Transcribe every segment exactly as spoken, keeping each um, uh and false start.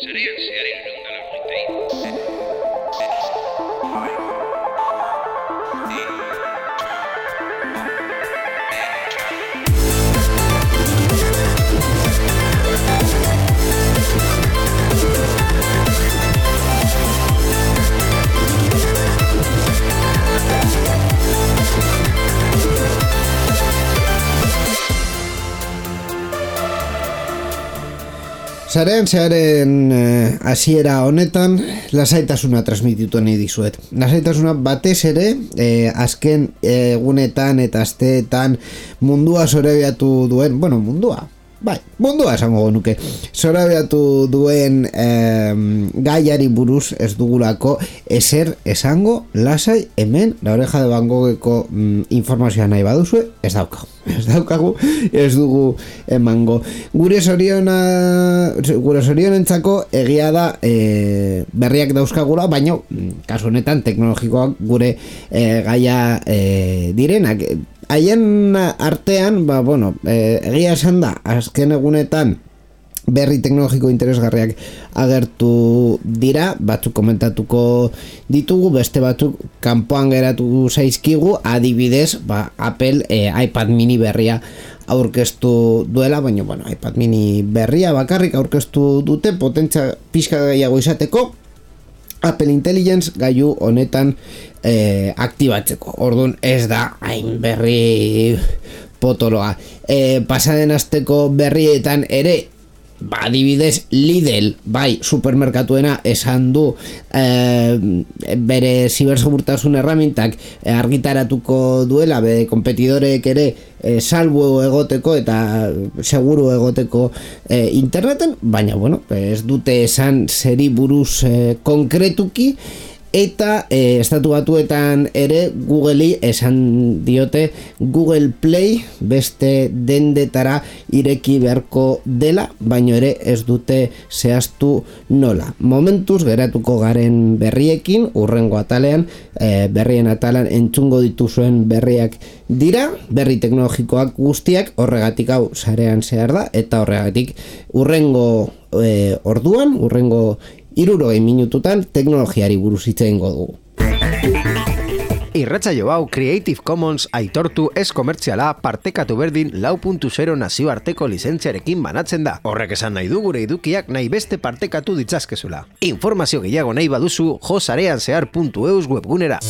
Serían zehar hirurehun eta laurogeita hiru. Sarean zearen hasiera eh, honetan lasaitasuna transmititu nahi dizuet. Lasaitasuna batez ere eh, azken egunetan eta asteetan mundua zorabiatu duen, bueno, mundua, bai, mundua esango genuke, zorabiatu duen eh, gaiari buruz ez dugulako ezer esango lasai hemen La Oreja de Van Gogheko mm, informazioa nahi baduzue, ez daukagu. Ez daukagu, ez dugu emango. Gure zoriona, gure zorionentzako egia da e, berriak dauzkagula, baina kasu honetan teknologikoak gure e, gaia e, direnak. Haien artean, ba, bueno, e, egia esan da, azken egunetan berri teknologiko interesgarriak agertu dira, batzuk komentatuko ditugu, beste batzuk kanpoan geratu zaizkigu, adibidez, ba, Apple e, iPad mini berria aurkeztu duela, baina bueno, iPad mini berria bakarrik aurkeztu dute, potentzia pixka gehiago izateko, Apple Intelligence gailu honetan e, aktibatzeko. Orduan ez da hain berri potoloa. E, pasaden asteko berrietan ere, ba, adibidez Lidl, bai, supermerkatuena esan du e, bere zibersegurtasun erramintak e, argitaratuko duela, bere konpetidorek ere e, salbu egoteko eta seguru egoteko e, interneten, baina bueno, ez dute esan zeri buruz e, konkretuki. Eta e, estatu batuetan ere Googleri esan diote Google Play beste dendetara ireki beharko dela, baino ere ez dute zehaztu nola. Momentuz geratuko garen berriekin, urrengo atalean, e, berrien atalan entzungo dituzuen berriak dira, berri teknologikoak guztiak, horregatik hau sarean zehar da, eta horregatik urrengo e, orduan, urrengo hirurogei minututan teknologiari buruz hitz egingo dugu. Irratsaio hau Creative Commons aitortu ez komertziala partekatu berdin lau puntu zero nazioarteko lizentziarekin banatzen da. Horrek esan nahi du gure edukiak nahi beste partekatu ditzazkezula. Informazio gehiago nahi baduzu jo sareanzehar puntu eus webgunera.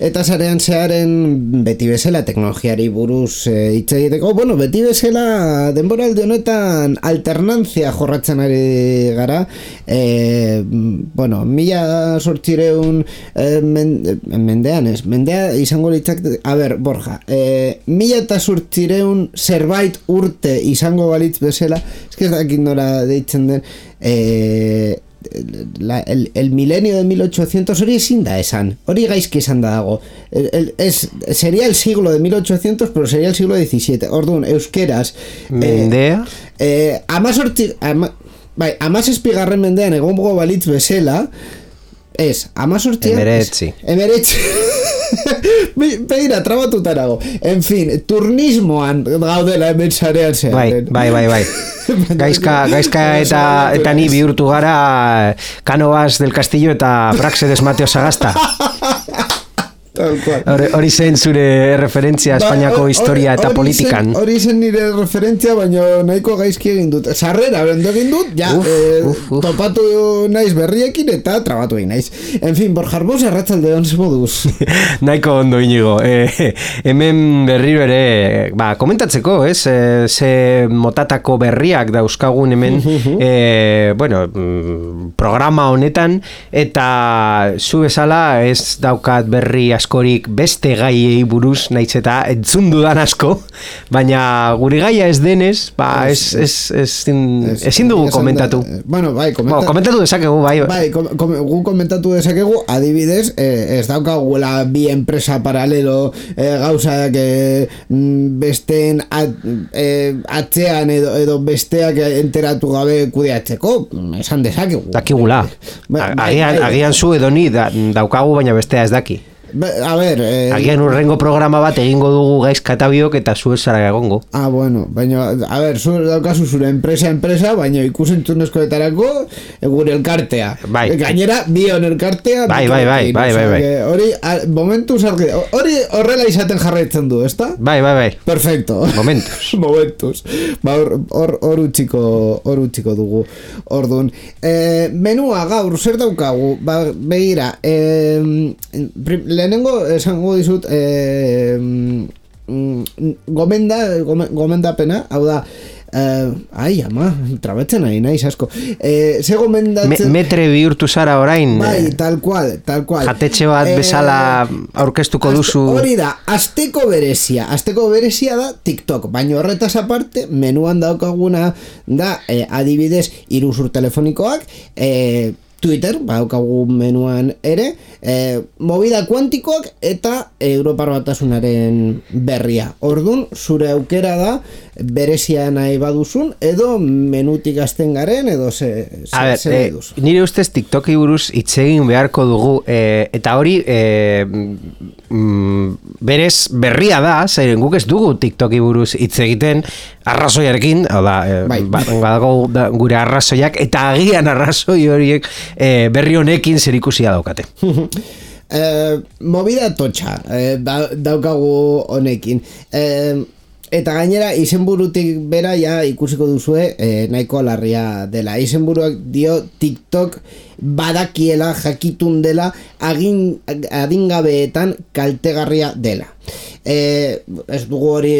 Eta sarean zearen beti bezala teknologiari buruz hitz e, egiteko, bueno, beti bezala denboraldi honetan alternantzia jorratzen ari gara, e, bueno, mila sortzireun e, men, mendean ez, mendea izango litzak, a ber, Borja, e, mila eta sortzireun zerbait urte izango balitz bezala, ez que ez dakit nora deitzen den, e, La, el, el milenio de mil ochocientos hori ezin da esan, hori gaizki esan da dago, el, el, es, sería el siglo de mil ochocientos, pero sería el siglo diecisiete. Orduan, euskeraz mendea eh, eh, amazortzi ama, bai, amazazpigarren mendean egongo balitz bezala ez, amazortzi emeretzi emeretzi begira, trabatutarago, en fin, turnismoan gaudela hemen sarean zearen. Bai, bai, bai, bai. Gaizka, gaizka eta, eta ni bihurtu gara Cánovas del Castillo eta Praxedes Mateo Sagasta. Tal cual. Hori, hori zen zure referentzia Espainiako Ba, historia hori- eta hori politikan. zen- Hori zen nire referentzia, baina nahiko gaizki egin dut. Sarrera bendo egin dut, ja, Uf, eh, uf, uf. topatu naiz berriekin eta trabatu egin naiz. En fin, Borja Arbós, arratsalde on moduz. Nahiko ondo inigo. E, hemen berriro ere, ba, komentatzeko, ez? E, ze motatako berriak dauzkagun hemen, e, bueno, mm, programa honetan, eta zu bezala ez daukat berri askorik beste gaiei buruz, naiz eta entzun dudan asko, baina gure gaia ez denez, ba, ez, ez, ez, ez, ezin dugu esan komentatu. da- Bueno, bai, komenta, Bueno, komentatu dezakegu, bai. bai, kom, kom, gu komentatu dezakegu, adibidez, eh, ez daukagula bi enpresa paralelo eh, gauzak eh, mm, besteen at, eh, atzean edo, edo besteak enteratu gabe kudeatzeko, esan dezakegu. Dakigula. Ba- bai, Agian, bai. agian zu edo ni da, daukagu, baina bestea ez daki. Ba- A ber, eh, Agian urrengo programa bat egingo dugu gaizka eta biok eta zu ez zara egongo. Ah, bueno, baina, a ber, zu daukazu zure enpresa enpresa, baina ikusentzunezkoetarako eh, gure elkartea. Bai. Eh, Gainera, bion elkartea. Bai, bai, bai, bai, bai, bai. Osea, que Hori, a- momentuz argi, hori horrela izaten jarraitzen du, ezta? Bai, bai, bai. Perfecto. Momentuz. Momentuz. Ba, hor, hor, hor utxiko, hor utxiko dugu. Ordun. Eh, menua gaur, zer daukagu? Ba, begira, eh, prim, lehenengo esango dizut, eh, mm, gomenda, gome- gomendapena, hau da, eh, ai, ama, trabatzen nahi, naiz asko. Eh, ze Me, gomendatzen... metre bihurtu zara orain, Bai, eh, tal cual, tal cual. jatetxe bat Eh, bezala aurkeztuko Aste- duzu. Hori da, asteko berezia. Asteko berezia da TikTok, baina horretaz aparte, menuan daukaguna da, eh, adibidez, iruzur telefonikoak, eh, Twitter, badaukagu menuan ere, eh, movida kuantikoak eta Europar Batasunaren berria. Ordun, zure aukera da, berezia nahi baduzun, edo menutik azten garen, edo ze, ze, A ber, ze nahi eh, duzu. nire ustez TikToki buruz hitz egin beharko dugu, eh, eta hori eh, mm, berez berria da, zeren guk ez dugu TikToki buruz hitz egiten arrazoiarekin, hau da, eh, Bai. ba, badago da, gure arrazoiak, eta agian arrazoi horiek eh, berri honekin zerikusia daukate. Eh, movida totxa eh, da, daukagu honekin, eh, eta gainera izenburutik bera ja ikusiko duzue eh, nahiko larria dela. Izenburuak dio TikTok badakiela, jakitun dela, agin, adingabeetan kaltegarria dela. Eh, ez dugu hori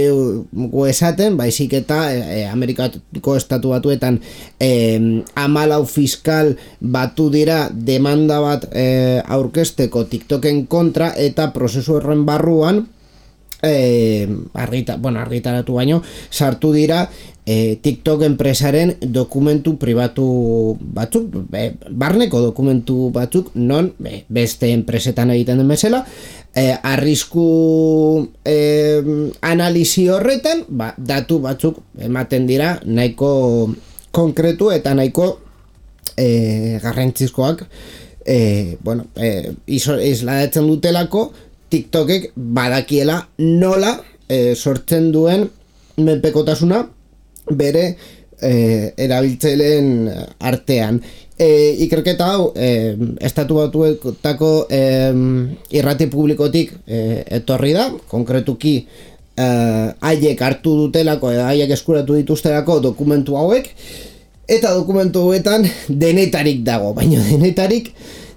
gu esaten, baizik eta eh, Amerikako estatu batuetan eh, amalau fiskal batu dira demanda bat eh, aurkezteko TikToken kontra, eta prozesu horren barruan eh, argita, bueno, argitaratu baino sartu dira eh, TikTok enpresaren dokumentu pribatu batzuk, eh, barneko dokumentu batzuk, non eh, beste enpresetan egiten den bezala, eh, arrisku eh, analisi horretan, ba, datu batzuk ematen dira nahiko konkretu eta nahiko eh, garrantzizkoak, eh, bueno, eh, iso, isladatzen dutelako TikTokek badakiela nola eh, sortzen duen menpekotasuna bere eh, erabiltzaileen artean. Eh, ikerketa hau eh, estatu batuetako eh, irrati publikotik eh, etorri da, konkretuki eh, haiek hartu dutelako, edo haiek eskuratu dituztelako dokumentu hauek, eta dokumentu hauetan denetarik dago, baina denetarik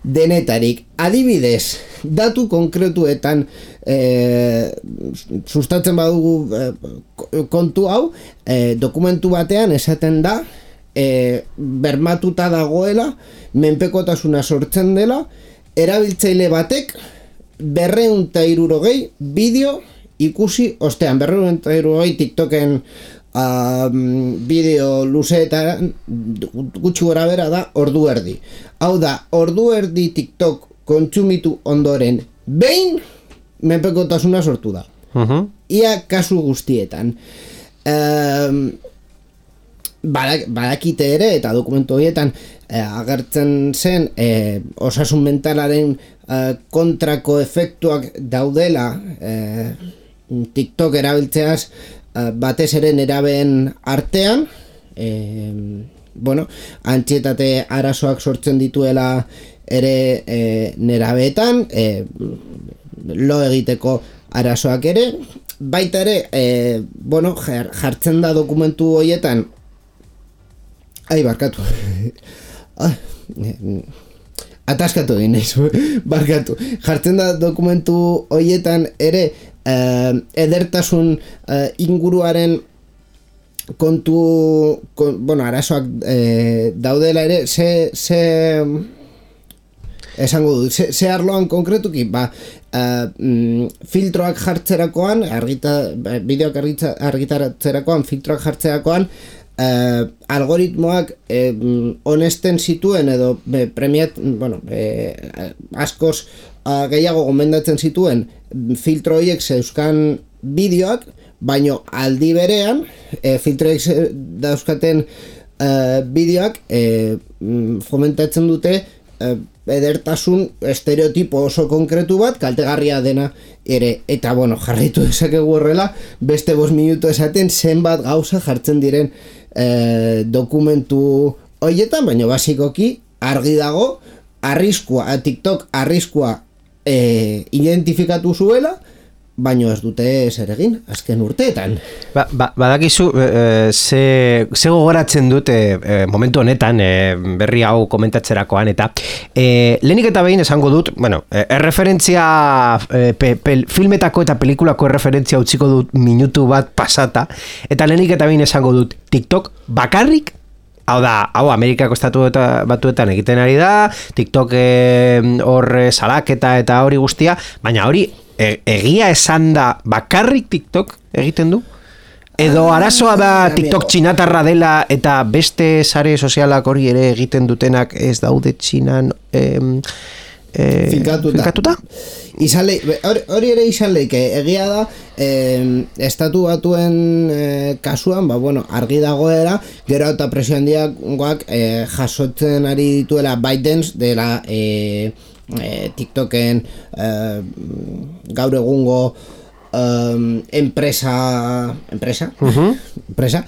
denetarik. Adibidez, datu konkretuetan eh, sustatzen badugu eh, kontu hau, eh, dokumentu batean esaten da eh, bermatuta dagoela, menpekotasuna sortzen dela, erabiltzaile batek berrehun eta hirurogei bideo ikusi ostean. Berrehun eta hirurogei TikToken Um, bideo luzeetan gutxi gora bera da ordu erdi. Hau da, ordu erdi TikTok kontsumitu ondoren behin menpekotasuna sortu da. Uh-huh. Ia kasu guztietan. Um, badak, badakite ere, eta dokumentu horietan eh, agertzen zen eh, osasun mentalaren eh, kontrako efektuak daudela eh, TikTok erabiltzeaz, batez ere nerabeen artean, eh, bueno, antsietate arazoak sortzen dituela ere eh, nerabeetan, eh, lo egiteko arazoak ere, baita ere, e, bueno, jartzen da dokumentu horietan, ai, barkatu, ah, ataskatu egin naiz, barkatu, jartzen da dokumentu horietan ere, e, edertasun e, inguruaren kontu, kon, bueno, arazoak e, daudela ere, ze, ze, esango du, ze, ze arloan konkretuki, ba, uh, mm, filtroak jartzerakoan, argita, bideoak argita, argitaratzerakoan, filtroak jartzerakoan, uh, algoritmoak eh, honesten zituen edo eh, premiat, bueno, eh, askoz uh, gehiago gomendatzen zituen filtro horiek zeuzkan bideoak, baino aldi berean, eh, filtroek dauzkaten uh, bideoak eh, fomentatzen dute uh, edertasun estereotipo oso konkretu bat, kaltegarria dena ere, eta bueno, jarraitu dezakegu horrela, beste bost minutu esaten zenbat gauza jartzen diren eh, dokumentu horietan, baina basikoki argi dago, arriskua, TikTok arriskua eh, identifikatu zuela, baino ez dute zer egin, azken urteetan. Ba, ba, badakizu, e, ze, ze gogoratzen dute e, momentu honetan, e, berri hau komentatzerakoan, eta e, lehenik eta behin esango dut, bueno, e, erreferentzia, e, pe, pe, filmetako eta pelikulako erreferentzia utziko dut minutu bat pasata, eta lehenik eta behin esango dut, TikTok bakarrik, hau da, hau Amerikako estatu eta batuetan egiten ari da, TikTok hor e, salaketa eta hori guztia, baina hori, E, egia esan da bakarrik TikTok egiten du? Edo arazoa da TikTok txinatarra dela eta beste sare sozialak hori ere egiten dutenak ez daude txinan eh, eh, finkatuta? finkatuta? Izale, hori, hori ere izan leike, egia da eh, estatu batuen eh, kasuan, ba, bueno, argi dagoera, gero eta presio handiagoak eh, jasotzen ari dituela ByteDance dela eh, Eh, TikToken eh, gaur egungo eh, enpresa enpresa uh-huh. enpresa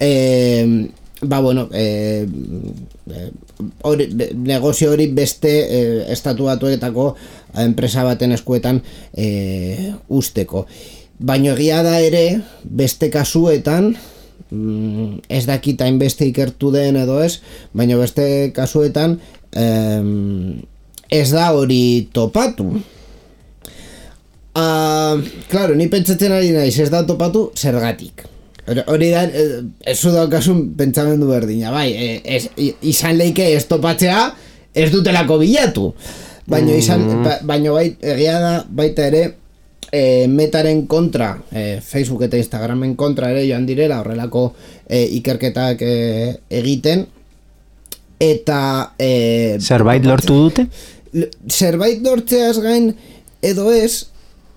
eh, ba bueno eh, ori, negozio hori beste eh, estatu batuetako enpresa baten eskuetan eh, usteko, baina egia da ere beste kasuetan mm, ez dakit hainbeste ikertu den edo ez, baina beste kasuetan eh, ez da hori topatu. Uh, claro, ni pentsatzen ari naiz ez da topatu zergatik. Hori da, ez zu daukasun pentsamendu berdina, bai, ez, izan leike ez topatzea ez dutelako bilatu. Baina izan, ba, baina bai, egia da baita ere e, metaren kontra, e, Facebook eta Instagramen kontra ere joan direla horrelako e, ikerketak e, egiten, eta e, zerbait lortu dute? Zerbait lortzeaz gain edo ez,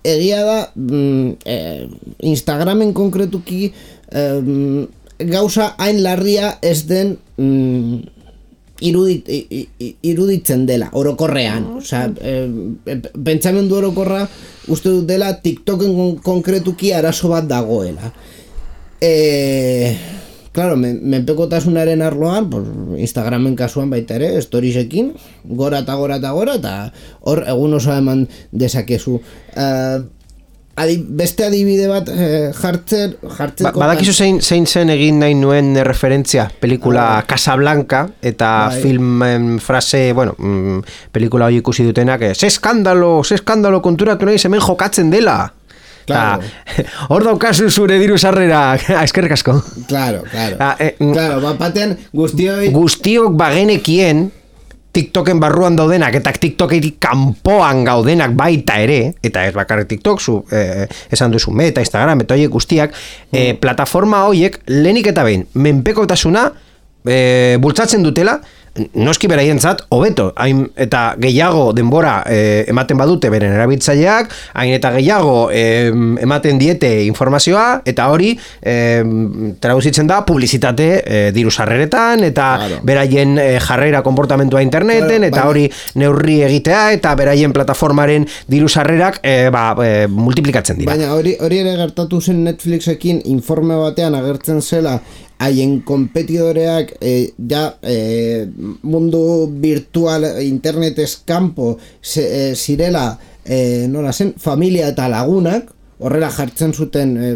egia da mm, eh, Instagramen konkretuki eh, gauza hain larria ez den mm, irudit, iruditzen dela orokorrean, osea, eh, pentsamendu orokorra uste dut dela TikToken konkretuki arazo bat dagoela. Eh, Claro, menpekotasunaren arloan, pues, Instagramen kasuan baita ere, storiesekin, gora eta gora eta gora, eta hor egun oso eman dezakezu. Uh, adi, beste adibide bat uh, jartzen... jartzen ba, badakizu zein, zein zen egin nahi nuen referentzia, pelikula ah, Casablanca, eta bai. Filmen frase, bueno, mm, pelikula hori ikusi dutenak, ze eskandalo, ze eskandalo konturatu nahi hemen jokatzen dela. Claro. Hor daukazu zure diru sarrera, eskerrik asko. Claro, claro. Ah, eh, claro, bapatean guztioi... Guztiok bagenekien TikToken barruan daudenak eta TikToketik kanpoan gaudenak baita ere, eta ez bakarrik TikTok, zu, eh, esan duzu Meta, Instagram, eta horiek guztiak, mm. eh, plataforma horiek lehenik eta behin, menpekotasuna eh, bultzatzen dutela, noski beraientzat hobeto, hain eta gehiago denbora eh, ematen badute beren erabiltzaileak, hain eta gehiago eh, ematen diete informazioa, eta hori eh, traduzitzen da publizitate eh, diru sarreretan, eta claro. Beraien eh, jarrera konportamentua interneten, claro, eta hori neurri egitea, eta beraien plataformaren diru sarrerak eh, ba, eh, multiplikatzen dira. Baina hori, hori ere gertatu zen Netflixekin informe batean agertzen zela haien konpetidoreak e, ja e, mundu virtual internetez kanpo se, e, zirela e, nola zen, familia eta lagunak, horrela jartzen zuten, e,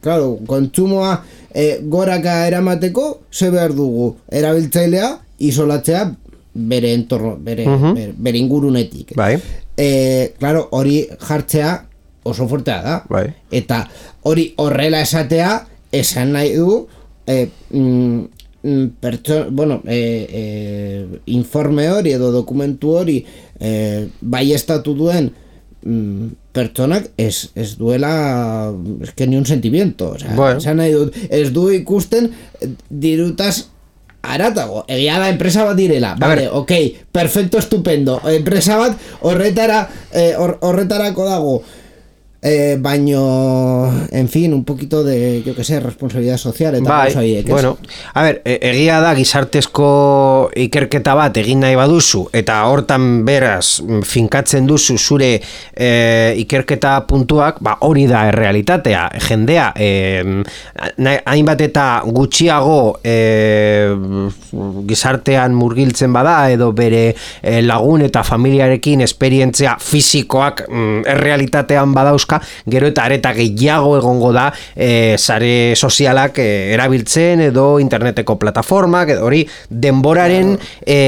claro, kontsumoa e, goraka eramateko, ze behar dugu, erabiltzailea isolatzea bere entorno, bere, uh-huh. bere, bere ingurunetik. Bai. E, claro, hori jartzea oso fortea da. Bai. Eta hori horrela esatea, esan nahi du, e, mm, pertso, bueno, e, e, informe hori edo dokumentu hori e, bai estatu duen mm, pertsonak ez, ez duela es que ni un sentimiento, o sea, bueno. Esan nahi dut, ez du ikusten dirutaz aratago, egia da enpresa bat direla, vale, ok, perfecto, estupendo, enpresa bat horretara eh, hor, horretarako dago, eh, baino, en fin, un poquito de, yo que sé, responsabilidad social eta bai, horiek, bueno, a ver, egia da gizartezko ikerketa bat egin nahi baduzu eta hortan beraz finkatzen duzu zure e, ikerketa puntuak, ba hori da errealitatea, jendea e, hainbat eta gutxiago e, gizartean murgiltzen bada edo bere e, lagun eta familiarekin esperientzia fisikoak mm, errealitatean badauzka, gero eta areta gehiago egongo da e, sare sozialak e, erabiltzen edo interneteko plataformak, edo hori denboraren e,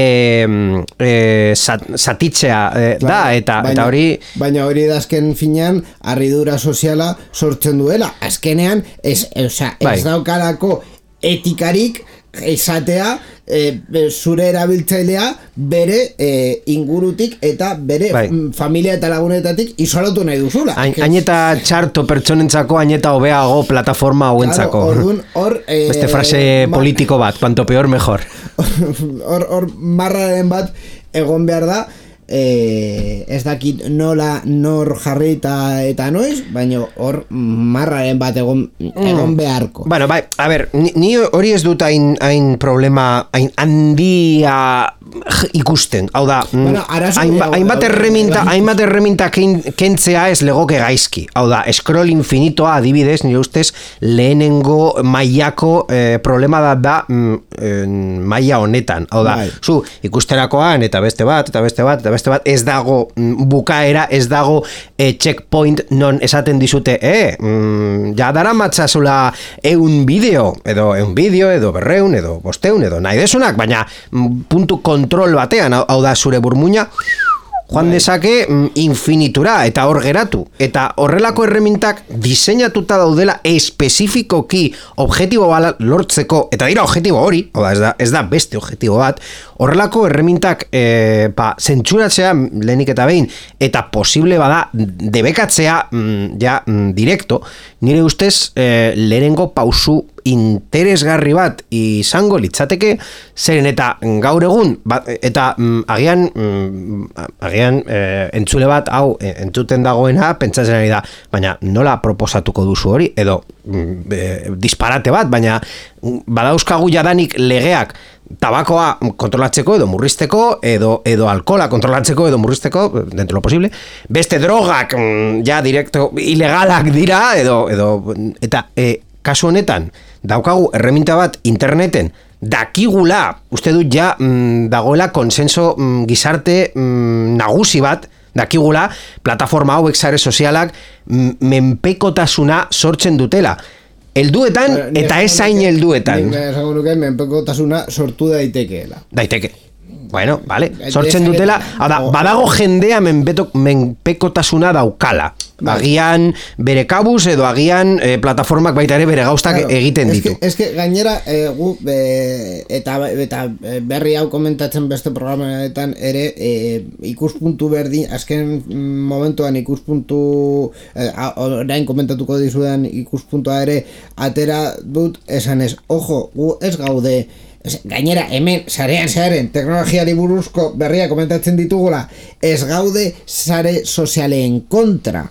e, sat, satitzea e, claro, da, eta, baina, eta hori... Baina hori da azken finean harridura soziala sortzen duela, azkenean ez, ez, ez bai. Daukalako etikarik esatea e, zure erabiltzailea bere e, ingurutik eta bere bai. Familia eta lagunetatik isolatu nahi duzula. Hain eta txarto pertsonentzako, hain eta hobeago plataforma hauentzako. Claro, or, e, beste frase ma, politiko bat, cuanto peor mejor. Hor, hor marraren bat egon behar da, Eh, ez dakit nola nor jarri eta, eta noiz, baina hor marraren bat egon, egon beharko. Bueno, bai, a ber, ni, ni hori ez dut hain, hain problema hain handia ikusten, hau da, bueno, hainbat erreminta, hainbat erreminta kentzea ez legoke gaizki, hau da, scroll infinitoa adibidez, nire ustez lehenengo mailako eh, problema da da eh, maila honetan, hau da, bai. Zu ikusterakoan eta beste bat, eta beste bat, eta beste bat, ez dago bukaera, ez dago e, checkpoint non esaten dizute, eh, mm, ja dara matzazula eun bideo, edo eun bideo, edo berreun, edo bosteun, edo nahi desunak, baina mm, puntu kontrol batean, hau da zure burmuina, joan dezake infinitura eta hor geratu. Eta horrelako erremintak diseinatuta daudela espezifikoki objektibo bat lortzeko, eta dira objektibo hori, oda, ez, da, ez da beste objektibo bat, horrelako erremintak e, pa, zentsuratzea lehenik eta behin, eta posible bada debekatzea mm, ja mm, direkto, nire ustez e, lehenengo pausu interesgarri bat izango litzateke, zeren eta gaur egun ba, eta mm, agian mm, agian e, entzule bat hau e, entzuten dagoena pentsatzen ari da, baina nola proposatuko duzu hori, edo mm, e, disparate bat, baina badauzkagu jadanik legeak tabakoa kontrolatzeko edo murrizteko, edo, edo alkohola kontrolatzeko edo murrizteko, dentro lo posible, beste drogak mm, ja direkto ilegalak dira, edo, edo eta e, kasu honetan daukagu erreminta bat interneten dakigula, uste dut ja mm, dagoela konsenso mm, gizarte mm, nagusi bat, dakigula plataforma hauek sare sozialak mm, menpekotasuna sortzen dutela. Helduetan eta ez hain helduetan. Nik esango nuke menpekotasuna sortu daitekeela. Daiteke. Bueno, vale, sortzen dutela, da, badago jendea menpeto, menpekotasuna daukala. Agian bere kabuz edo agian e, plataformak baita ere bere gauztak claro, egiten ditu. Ez que gainera, e, gu, e, eta, eta berri hau komentatzen beste programetan ere, e, ikuspuntu berdin, azken momentuan ikuspuntu, e, orain komentatuko dizudan ikuspuntua ere, atera dut esan ez, ojo, gu ez gaude, gainera hemen sarean zearen teknologiari buruzko berria komentatzen ditugula, ez gaude sare sozialen kontra,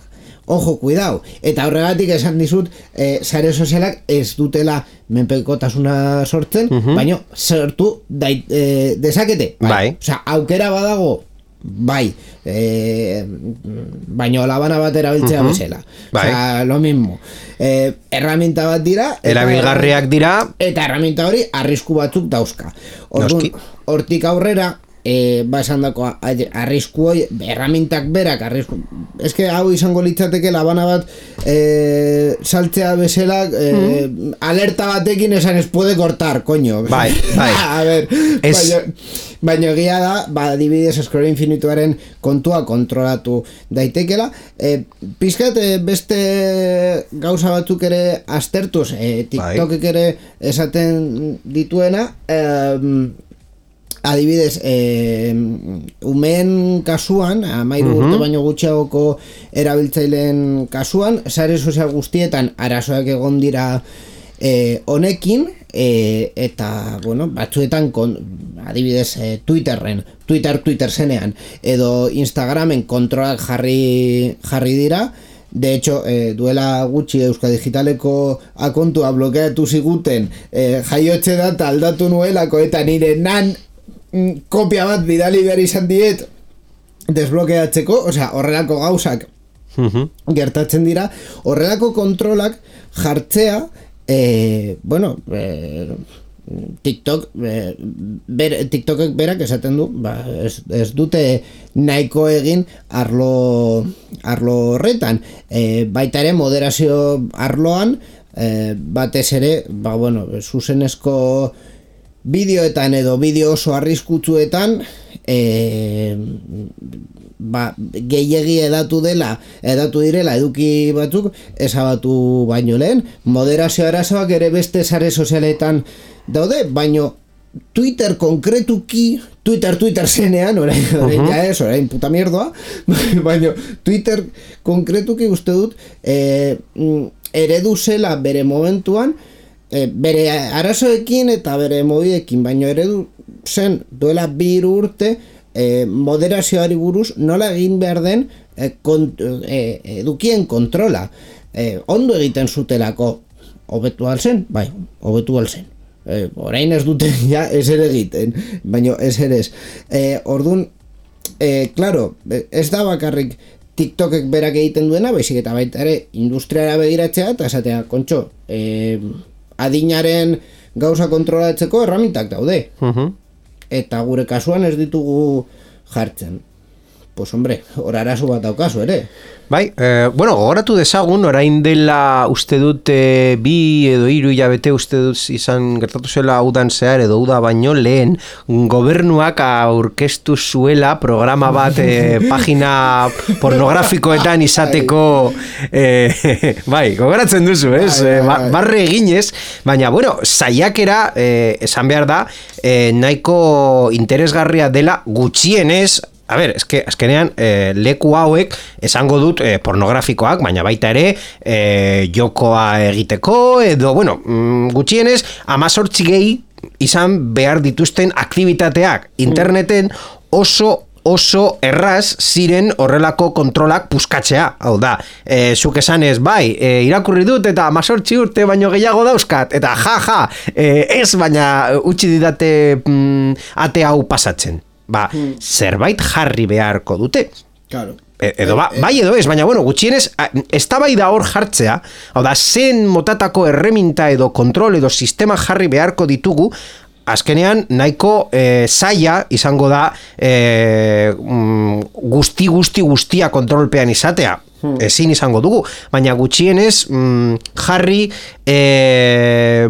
ojo, cuidao, eta horregatik esan dizut eh, sare sozialak ez dutela menpekotasuna sortzen, uh-huh. baina sortu dait, eh, dezakete, bai. Bai. Osea, aukera badago bai, e, baino labana bat erabiltzea uh-huh. bezala. Bai. Osea, lo mismo. E, erraminta bat dira. Erabilgarriak dira. Eta erraminta hori arrisku batzuk dauzka. Orduan, hortik aurrera, E, ba esan dako arrisku hoi, erramintak berak arrisku, eske hau izango litzateke labana bat e, saltzea bezala e, mm. alerta batekin esan ez puede cortar, coño bai, bai. A ver, es... baina, baina egia da, ba, adibidez Scroll Infinituaren kontua kontrolatu daitekela, e, pizkat e, beste gauza batzuk ere aztertuz, e, TikTokek ere esaten dituena, e, adibidez, eh, umeen kasuan, amairu urte baino gutxiagoko erabiltzaileen kasuan, sare sozial guztietan arazoak egon dira eh, honekin, eh, eta, bueno, batzuetan, kon, adibidez, eh, Twitterren, Twitter Twitter zenean, edo Instagramen kontrolak jarri, jarri dira. De hecho, eh, duela gutxi Euskal Digitaleko akontua blokeatu ziguten, eh, jaiotze data aldatu nuelako, eta nire nan kopia bat bidali behar izan diet desblokeatzeko, osea, horrelako gauzak uh-huh. gertatzen dira, horrelako kontrolak jartzea, eh, bueno, eh, TikTok, eh, ber, TikTokek berak esaten du, ba, ez, ez dute nahiko egin arlo, arlo horretan, eh, baita ere moderazio arloan, eh, batez ere, ba, bueno, zuzenezko bideoetan edo bideo oso arriskutsuetan e, ba, gehiegi edatu dela edatu direla eduki batzuk ezabatu baino lehen, moderazio arazoak ere beste sare sozialetan daude, baino Twitter konkretuki, Twitter Twitter zenean, orain, orain ja ez, orain puta mierdoa, baino Twitter konkretuki uste dut e, eredu zela bere momentuan, E, bere arazoekin eta bere mobidekin, baino eredu zen duela bi urte e, moderazioari buruz nola egin behar den e, kont, e, edukien kontrola. E, ondo egiten zutelako, hobetu alzen, bai, hobetu alzen. E, orain ez dute ja ez ere egiten, baino ez ere ez. E, orduan, e, claro, ez da bakarrik TikTokek berak egiten duena, baizik eta baita ere industriara begiratzea eta esatea, kontxo, e, adinaren gauza kontrolatzeko erramintak daude. Uh-huh. Eta gure kasuan ez ditugu jartzen. Pues hombre, hor arazo bat daukazu ere. Bai, eh, bueno, gogoratu dezagun, orain dela uste dut e, bi edo hiru hilabete uste dut izan gertatu zela udan zehar edo uda baino lehen gobernuak aurkeztu zuela programa bat e, pagina pornografikoetan izateko e, bai, gogoratzen duzu, ez? Bai, bai, bai. Barre eginez, baina, bueno, saiakera e, esan behar da e, nahiko interesgarria dela gutxienez. A ber, eske, azkenean, eh, leku hauek esango dut eh, pornografikoak, baina baita ere eh, jokoa egiteko, edo, bueno, mm, gutxienez, amazortzi gehi izan behar dituzten aktibitateak interneten oso oso erraz ziren horrelako kontrolak puskatzea. Hau da, e, zuk esanez, bai, e, irakurri dut eta amazortzi urte baino gehiago dauzkat, eta ja, ja, e, ez baina utzi didate mm, ate hau pasatzen. Ba, hmm. zerbait jarri beharko dute. Claro. E, edo ba, bai edo ez, baina bueno, gutxienez eztabaida hor jartzea, hau da, zen motatako erreminta edo kontrol edo sistema jarri beharko ditugu, azkenean nahiko e, zaila izango da e, guzti guzti guztia kontrolpean izatea. Hmm. Ezin izango dugu, baina gutxienez mm, jarri e,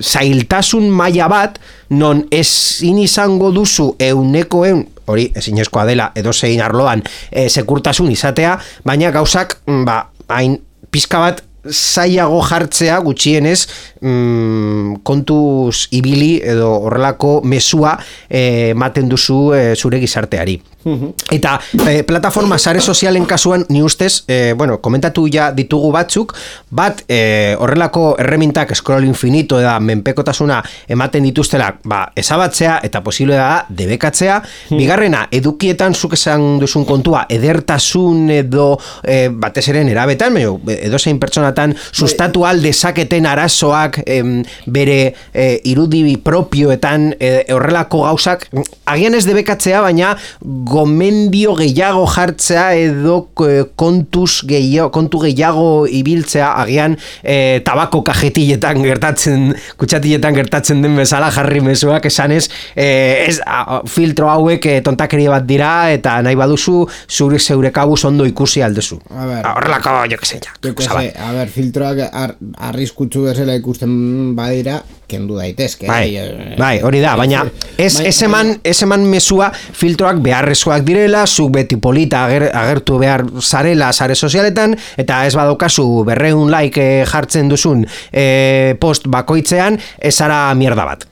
zailtasun maila bat non ezin izango duzu euneko eun, hori ezinezkoa dela edo zein arloan e, sekurtasun izatea, baina gauzak ba, hain pizka bat zailago jartzea gutxienez mm, kontuz ibili edo horrelako mezua ematen e, duzu e, zure gizarteari. Eta e, plataforma sare sozialen kasuan ni ustez, e, bueno, komentatu ja ditugu batzuk, bat e, horrelako erremintak Scroll Infinito eta menpekotasuna ematen dituztela, ba, ezabatzea eta posible da debekatzea. Hmm. Bigarrena, edukietan zuk esan duzun kontua, edertasun edo e, batez eren erabetan, edo zein pertsonatan sustatu alde zaketen arazoak filtroak em, bere e, irudi propioetan e, horrelako gauzak agian ez debekatzea, baina gomendio gehiago jartzea edo e, kontuz gehiago, kontu gehiago ibiltzea agian e, tabako kajetiletan gertatzen, kutsatiletan gertatzen den bezala jarri mezuak esanez e, ez, a, filtro hauek e, tontakeria bat dira eta nahi baduzu zure zeure kabuz ondo ikusi aldezu. Horrelako, jo que se, ja. Jo que se, a ver, filtroak ar, arriskutsu bezala ikusten badira, kendu daitezke. Bai, bai, hori da, baina ez, ez eman, ez eman mesua filtroak beharrezkoak direla, zuk beti polita ager, agertu behar zarela sare sozialetan, eta ez badaukazu berreun like jartzen duzun e, post bakoitzean, ez zara mierda bat.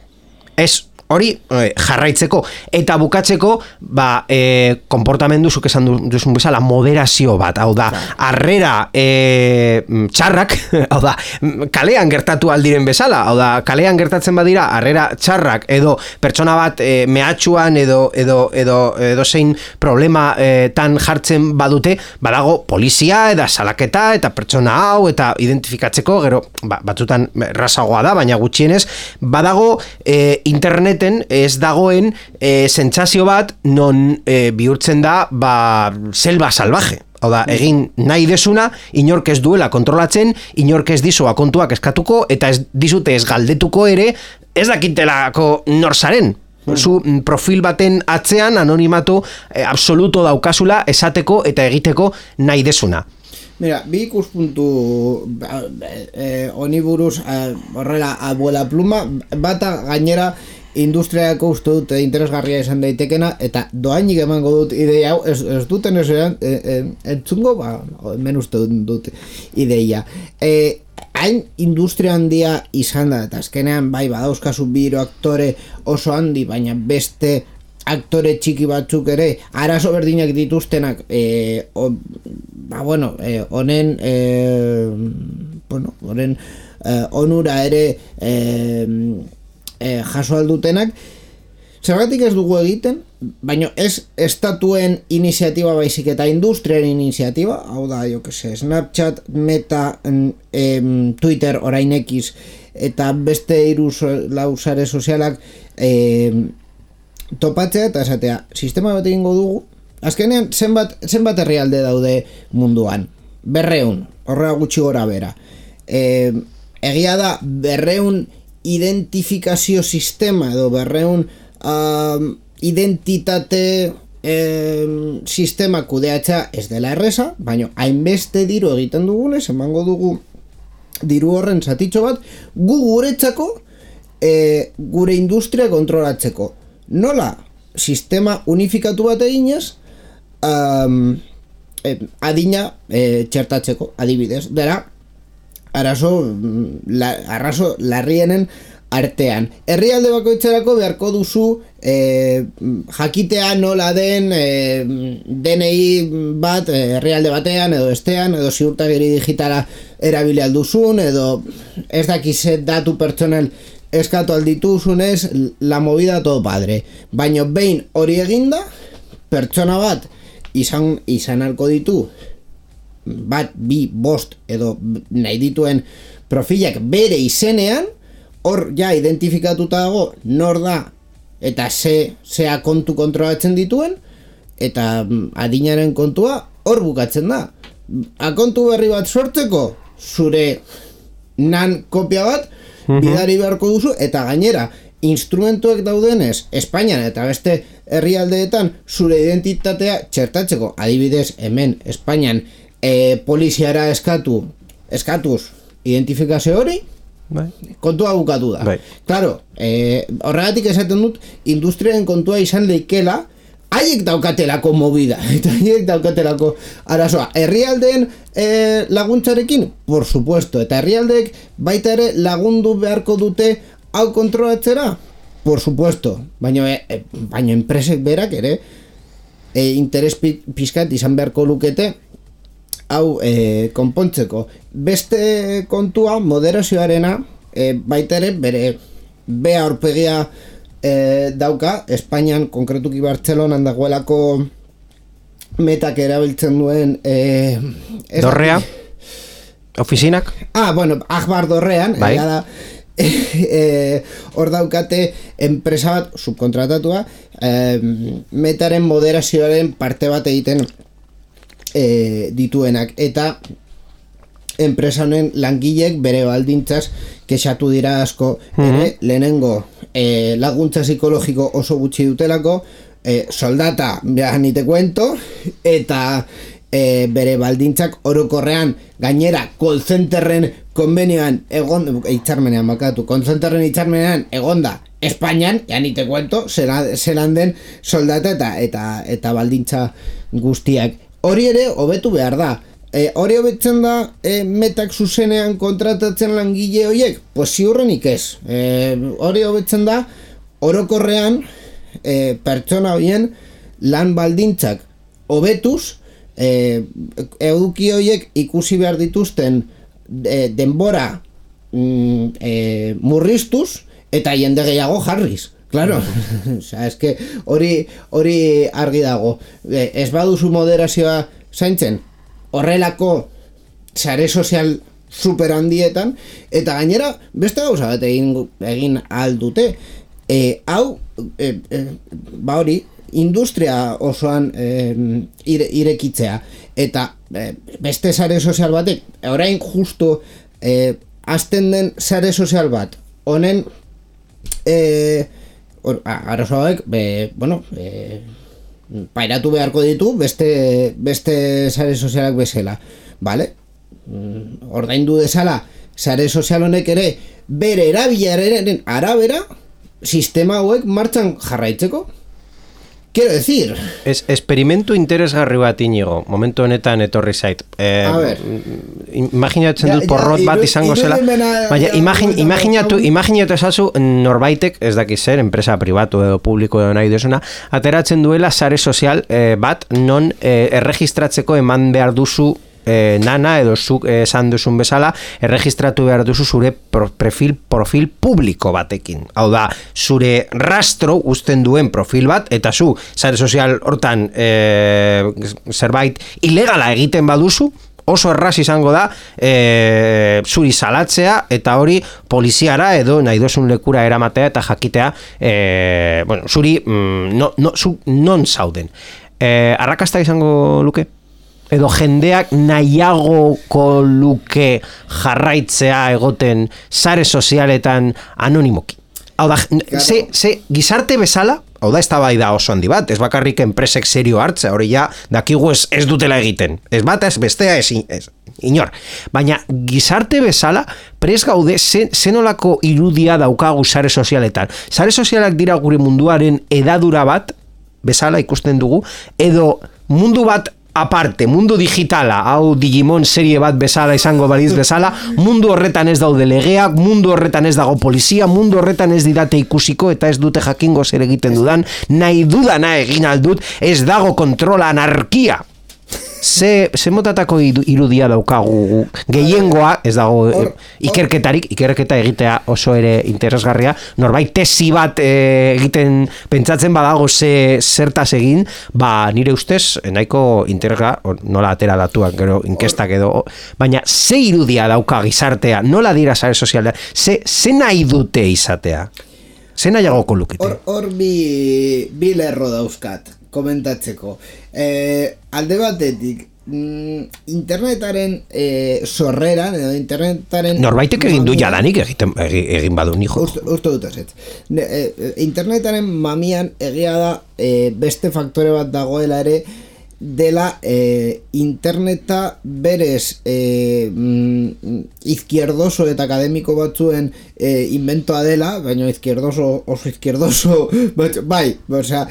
Ez hori eh, jarraitzeko eta bukatzeko ba, eh, konportamendu zuk esan duzun bezala moderazio bat, hau da harrera eh, txarrak, hau da kalean gertatu aldiren bezala, hau da kalean gertatzen badira harrera txarrak edo pertsona bat eh, mehatxuan edo edo, edo, edo zein problema eh, tan jartzen badute, badago polizia eta salaketa eta pertsona hau eta identifikatzeko, gero ba, batzutan rasagoa da, baina gutxienez badago eh, internet ez dagoen e, sentsazio bat non e, bihurtzen da ba, selva salvaje. Hau da, egin nahi desuna, inork ez duela kontrolatzen, inork ez dizua kontuak eskatuko, eta ez dizute ez galdetuko ere, ez dakitelako norzaren. Zu profil baten atzean anonimatu e, absoluto daukazula esateko eta egiteko nahi desuna. Mira, bi ikuspuntu eh, honi buruz eh, horrela abuela pluma, bata gainera industriako uste dut interesgarria izan daitekena eta doainik emango dut ideia hau, ez, ez duten ez eran, e, e, entzungo, ba, hemen uste dut ideia. E, hain industria handia izan da, eta azkenean bai badauzkazu biro aktore oso handi, baina beste aktore txiki batzuk ere arazo berdinak dituztenak e, o, ba bueno, e, honen e, bueno, honen e, onura ere e, e, jaso aldutenak, zergatik ez dugu egiten, baina ez estatuen iniziatiba baizik eta industriaren iniziatiba, hau da, jo que se, Snapchat, Meta, em, Twitter, orain X, eta beste hiru lau sare sozialak em, topatzea eta esatea, sistema bat egingo dugu, azkenean zenbat, zenbat herrialde daude munduan, berreun, horrela gutxi gora bera. E, egia da, berreun identifikazio sistema edo berreun uh, identitate eh, sistema kudeatza ez dela erresa, baina hainbeste diru egiten dugunez, emango dugu diru horren zatitxo bat, gu guretzako eh, gure industria kontrolatzeko. Nola, sistema unifikatu bat eginez, um, eh, adina eh, txertatzeko, adibidez, dela, arazo, la, arrazo larrienen artean. Herrialde bakoitzerako beharko duzu eh, jakitea nola den eh, D N I bat herrialde batean edo estean, edo ziurtagiri digitala erabili alduzun, edo ez dakiz datu pertsonal eskatu aldituzunez, la movida todo padre. Baina behin hori eginda, pertsona bat izan, izan alko ditu, bat, bi, bost, edo nahi dituen profilak bere izenean, hor ja identifikatuta dago nor da, eta ze, zea kontu kontrolatzen dituen, eta adinaren kontua hor bukatzen da. Akontu berri bat sortzeko, zure nan kopia bat, bidari beharko duzu, eta gainera, instrumentuek daudenez, Espainian eta beste herrialdeetan zure identitatea txertatzeko, adibidez, hemen, Espainian, e, poliziara eskatu, eskatuz, identifikazio hori, bai. Kontua bukatu da. Bai. Claro, e, horregatik esaten dut, industriaren kontua izan leikela, haiek daukatelako movida, eta haiek daukatelako arazoa. Herrialdeen e, laguntzarekin, por supuesto, eta herrialdeek baita ere lagundu beharko dute hau kontrolatzera, por supuesto, baina, e, baina enpresek berak ere e, interes pizkat izan beharko lukete hau e, konpontzeko. Beste kontua, moderazioarena, e, baita ere bere bea aurpegia E, dauka, Espainian, konkretuki Bartzelonan dagoelako Metak erabiltzen duen e, Dorrea? Ofizinak? Ah, bueno, Akbar dorrean, bai. da, e, hor daukate enpresa bat subkontratatua e, metaren moderazioaren parte bat egiten e, dituenak, eta enpresa honen langileek bere baldintzaz kexatu dira asko ere, mm-hmm. lehenengo e, laguntza psikologiko oso gutxi dutelako, e, soldata ja ni te cuento, eta e, bere baldintzak orokorrean gainera call centerren konbenioan egon hitzarmenean bakatu call centerren hitzarmenean egonda Espainian, ja ni te cuento, zelan den soldata eta eta eta baldintza guztiak. Hori ere hobetu behar da. E, hori hobetzen da e, metak zuzenean kontratatzen langile horiek? Pues ziurrenik ez. E, hori hobetzen da orokorrean e, pertsona horien lan baldintzak hobetuz, e, eduki horiek ikusi behar dituzten e, denbora mm, e, murriztuz eta jende gehiago jarriz. Claro, osea, eske hori hori argi dago. E, ez baduzu moderazioa zaintzen, horrelako sare sozial super handietan, eta gainera beste gauza bat egin, egin aldute. E, hau, e, e, ba hori, industria osoan e, ire, irekitzea, eta e, beste sare sozial batek, orain justu e, azten den sare sozial bat, honen e, arazoak, bueno, e, pairatu beharko ditu beste beste sare sozialak bezala, vale? Ordaindu dezala sare sozial honek ere bere erabileraren arabera sistema hauek martxan jarraitzeko. Quiero decir, es experimentu interesgarri bat Inigo, momentu honetan etorri zait. Eh, a ver, imaginatzen dut porrot bat izango zela. Baina imagin, imaginatu, imaginatu esazu norbaitek, ez dakiz zer, enpresa pribatu edo publiko edo nahi duzuna, ateratzen duela sare sozial eh, bat non eh, erregistratzeko eman behar duzu E, nana edo zuk esan duzun bezala erregistratu behar duzu zure pro, profil, profil publiko batekin. Hau da, zure rastro uzten duen profil bat, eta zu sare sozial hortan e, zerbait ilegala egiten baduzu, oso erraz izango da e, zuri salatzea eta hori poliziara edo nahi dozun lekura eramatea eta jakitea e, bueno, zuri mm, no, no, zu non zauden. E, arrakasta izango luke? Edo jendeak nahiagoko luke jarraitzea egoten sare sozialetan anonimoki. Hau da, claro. ze, ze gizarte bezala, hau da, ez da bai da oso handi bat, ez bakarrik enpresek serio hartza, hori ja, dakigu ez, ez dutela egiten. Ez bat, ez bestea, ez, ez inor. Baina gizarte bezala, prez gaude, zen, zenolako irudia daukagu sare sozialetan. Sare sozialak dira gure munduaren edadura bat, bezala ikusten dugu, edo mundu bat aparte, mundu digitala, hau Digimon serie bat bezala izango baliz bezala, mundu horretan ez daude legeak, mundu horretan ez dago polizia, mundu horretan ez didate ikusiko eta ez dute jakingo zer egiten dudan, nahi dudana egin aldut, ez dago kontrola, anarkia. Ze, ze motatako irudia daukagu gehiengoa, ez dago or, or, ikerketarik, ikerketa egitea oso ere interesgarria, norbait tesi bat e, egiten pentsatzen badago ze zertaz egin, ba nire ustez nahiko interesga, nola atera datuak gero inkestak edo, baina ze irudia dauka gizartea, nola dira sare sozialea, ze, ze nahi dute izatea, ze nahiagoko lukete. Hor, hor bi, bi lerro dauzkat komentatzeko. Eh, alde batetik, mm, internetaren eh, sorreran, edo internetaren... Norbaitek egin du jadanik egiten, egin badu nijo. Uste, uste dut ez. Eh, internetaren mamian egia da eh, beste faktore bat dagoela ere, dela eh, interneta berez eh, mm, izquierdoso eta akademiko batzuen eh, inventoa dela, baina izquierdoso oso izquierdoso bat, bai, osea,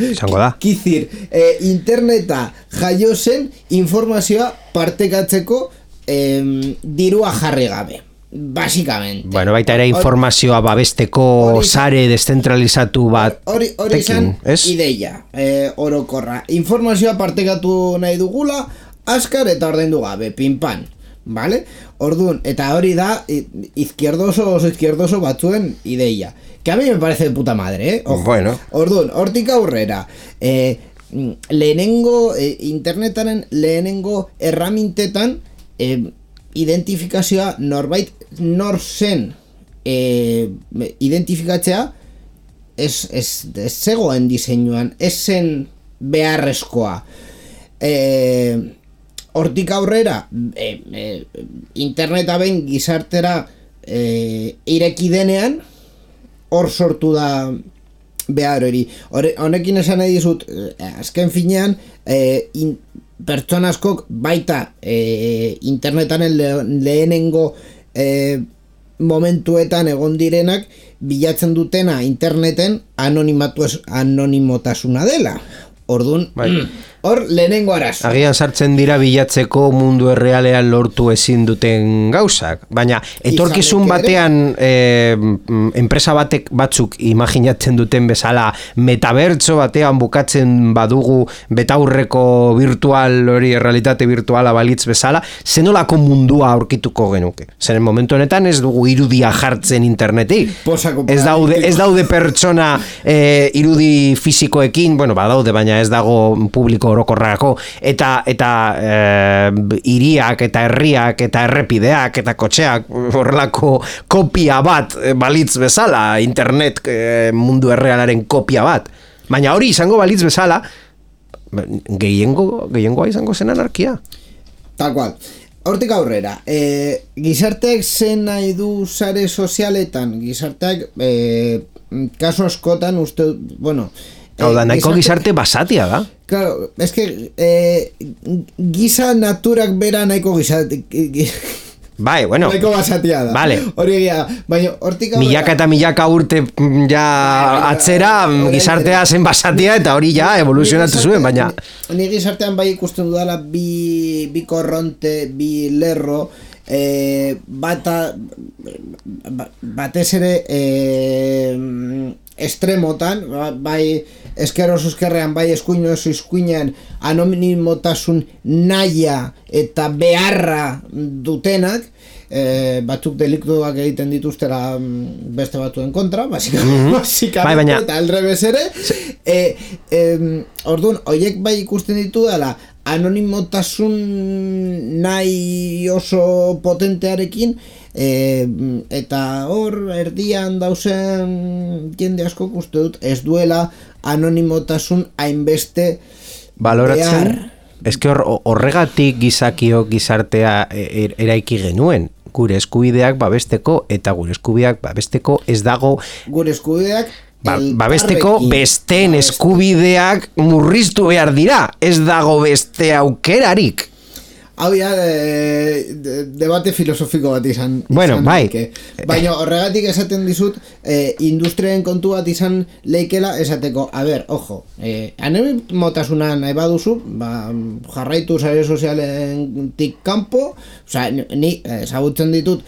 kizir eh, interneta jaio zen informazioa partekatzeko eh, dirua jarri gabe, básicamente. Bueno, baita ere informazioa babesteko ori, sare deszentralizatu bat hori hori izan ideia eh, orokorra. Informazioa partekatu nahi dugula, azkar eta ordaindu gabe, pinpan, vale? Orduan, eta hori da izquierdoso oso izquierdoso batzuen ideia. Que a mí me parece de puta madre, eh? Ojo. Bueno. Orduan, hortik aurrera, eh, lehenengo, eh, internetaren lehenengo erramintetan, eh, identifikazioa norbait nor zen e, identifikatzea ez, ez, ez zegoen diseinuan, ez zen beharrezkoa. E, hortik aurrera e, e, interneta behin gizartera e, ireki denean, hor sortu da behar hori. Honekin esan nahi dizut, azken finean, e, in, pertsona askok baita e, internetaren le, lehenengo e, momentuetan egon direnak bilatzen dutena interneten anonimatu anonimotasuna dela. Orduan, bai. Hor lehenengo arazo. Agian sartzen dira bilatzeko mundu errealean lortu ezin duten gauzak, baina etorkizun batean eh, enpresa batek batzuk imaginatzen duten bezala metabertso batean bukatzen badugu betaurreko virtual hori errealitate virtuala balitz bezala, zenolako mundua aurkituko genuke. Zeren momentu honetan ez dugu irudia jartzen interneti. Ez daude, ez daude pertsona eh, irudi fisikoekin, bueno, badaude, baina ez dago publiko orokorrako, eta eta e, hiriak eta herriak eta errepideak eta kotxeak horrelako kopia bat balitz bezala, internet e, mundu errealaren kopia bat. Baina hori izango balitz bezala, gehiengo, gehiengoa izango zen anarkia. Tal cual. Hortik aurrera, e, gizarteak zen nahi du sare sozialetan, gizarteak e, kaso askotan uste, bueno, Hau da, nahiko gizarte basatia da. Claro, es que eh, giza naturak bera nahiko gizarte... Bai, bueno. Nahiko basatia da. Vale. Hori egia, baina hortik... Milaka eta milaka urte ja atzera gizartea zen basatia eta hori ja evoluzionatu zuen, baina... Ni gizartean bai ikusten dudala bi, bi korronte, bi lerro... Eh, bata batez ere eh, estremotan, bai esker oso eskerrean, bai eskuin oso eskuinean anonimotasun naia eta beharra dutenak, eh, batzuk deliktuak egiten dituztera beste batzuen kontra, basikamente, mm-hmm. bai, baina... eta aldrebez ere, eh, eh, orduan, horiek bai ikusten ditu dela, anonimotasun nahi oso potentearekin e, eta hor erdian dauzen jende asko uste dut ez duela anonimotasun hainbeste baloratzen. Ez que hor, horregatik gizakio gizartea er, eraiki genuen. Gure eskubideak babesteko eta gure eskubideak babesteko ez dago gure eskubideak Ba, babesteko besteen eskubideak murriztu behar dira, ez dago beste aukerarik. Hau ya, de, de, debate filosofiko bat izan. Bueno, izan bai. Leike. Baina horregatik esaten dizut, eh, industriaren kontu bat izan leikela esateko, a ber, ojo, eh, anonimotasuna nahi baduzu, ba, jarraitu sare sozialentik kanpo, oza, ni ezagutzen ditut,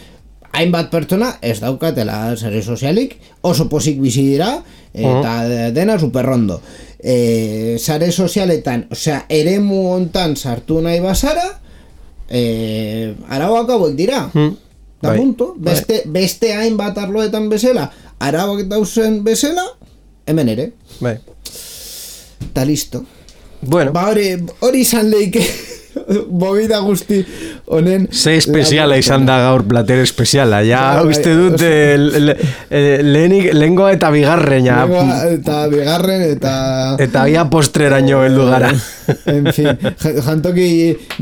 hainbat pertsona ez daukatela sare sozialik, oso pozik bizi dira, eta uh-huh. dena superrondo. E, sare sozialetan, osea, eremu hontan sartu nahi bazara, e, arauak hauek dira. Uh-huh. Da bai. Punto. Beste, bai. beste hainbat arloetan bezala, arauak dauzen bezala, hemen ere. Bai. Ta listo. Bueno. Ba hori, hori izan leike... Bobida guzti honen ze espeziala izan da gaur plater espeziala ja bai, uste dut lehenik lehengoa eta bigarren ja. Lehengoa eta bigarren eta eta bia postreraino heldu gara en fin, jantoki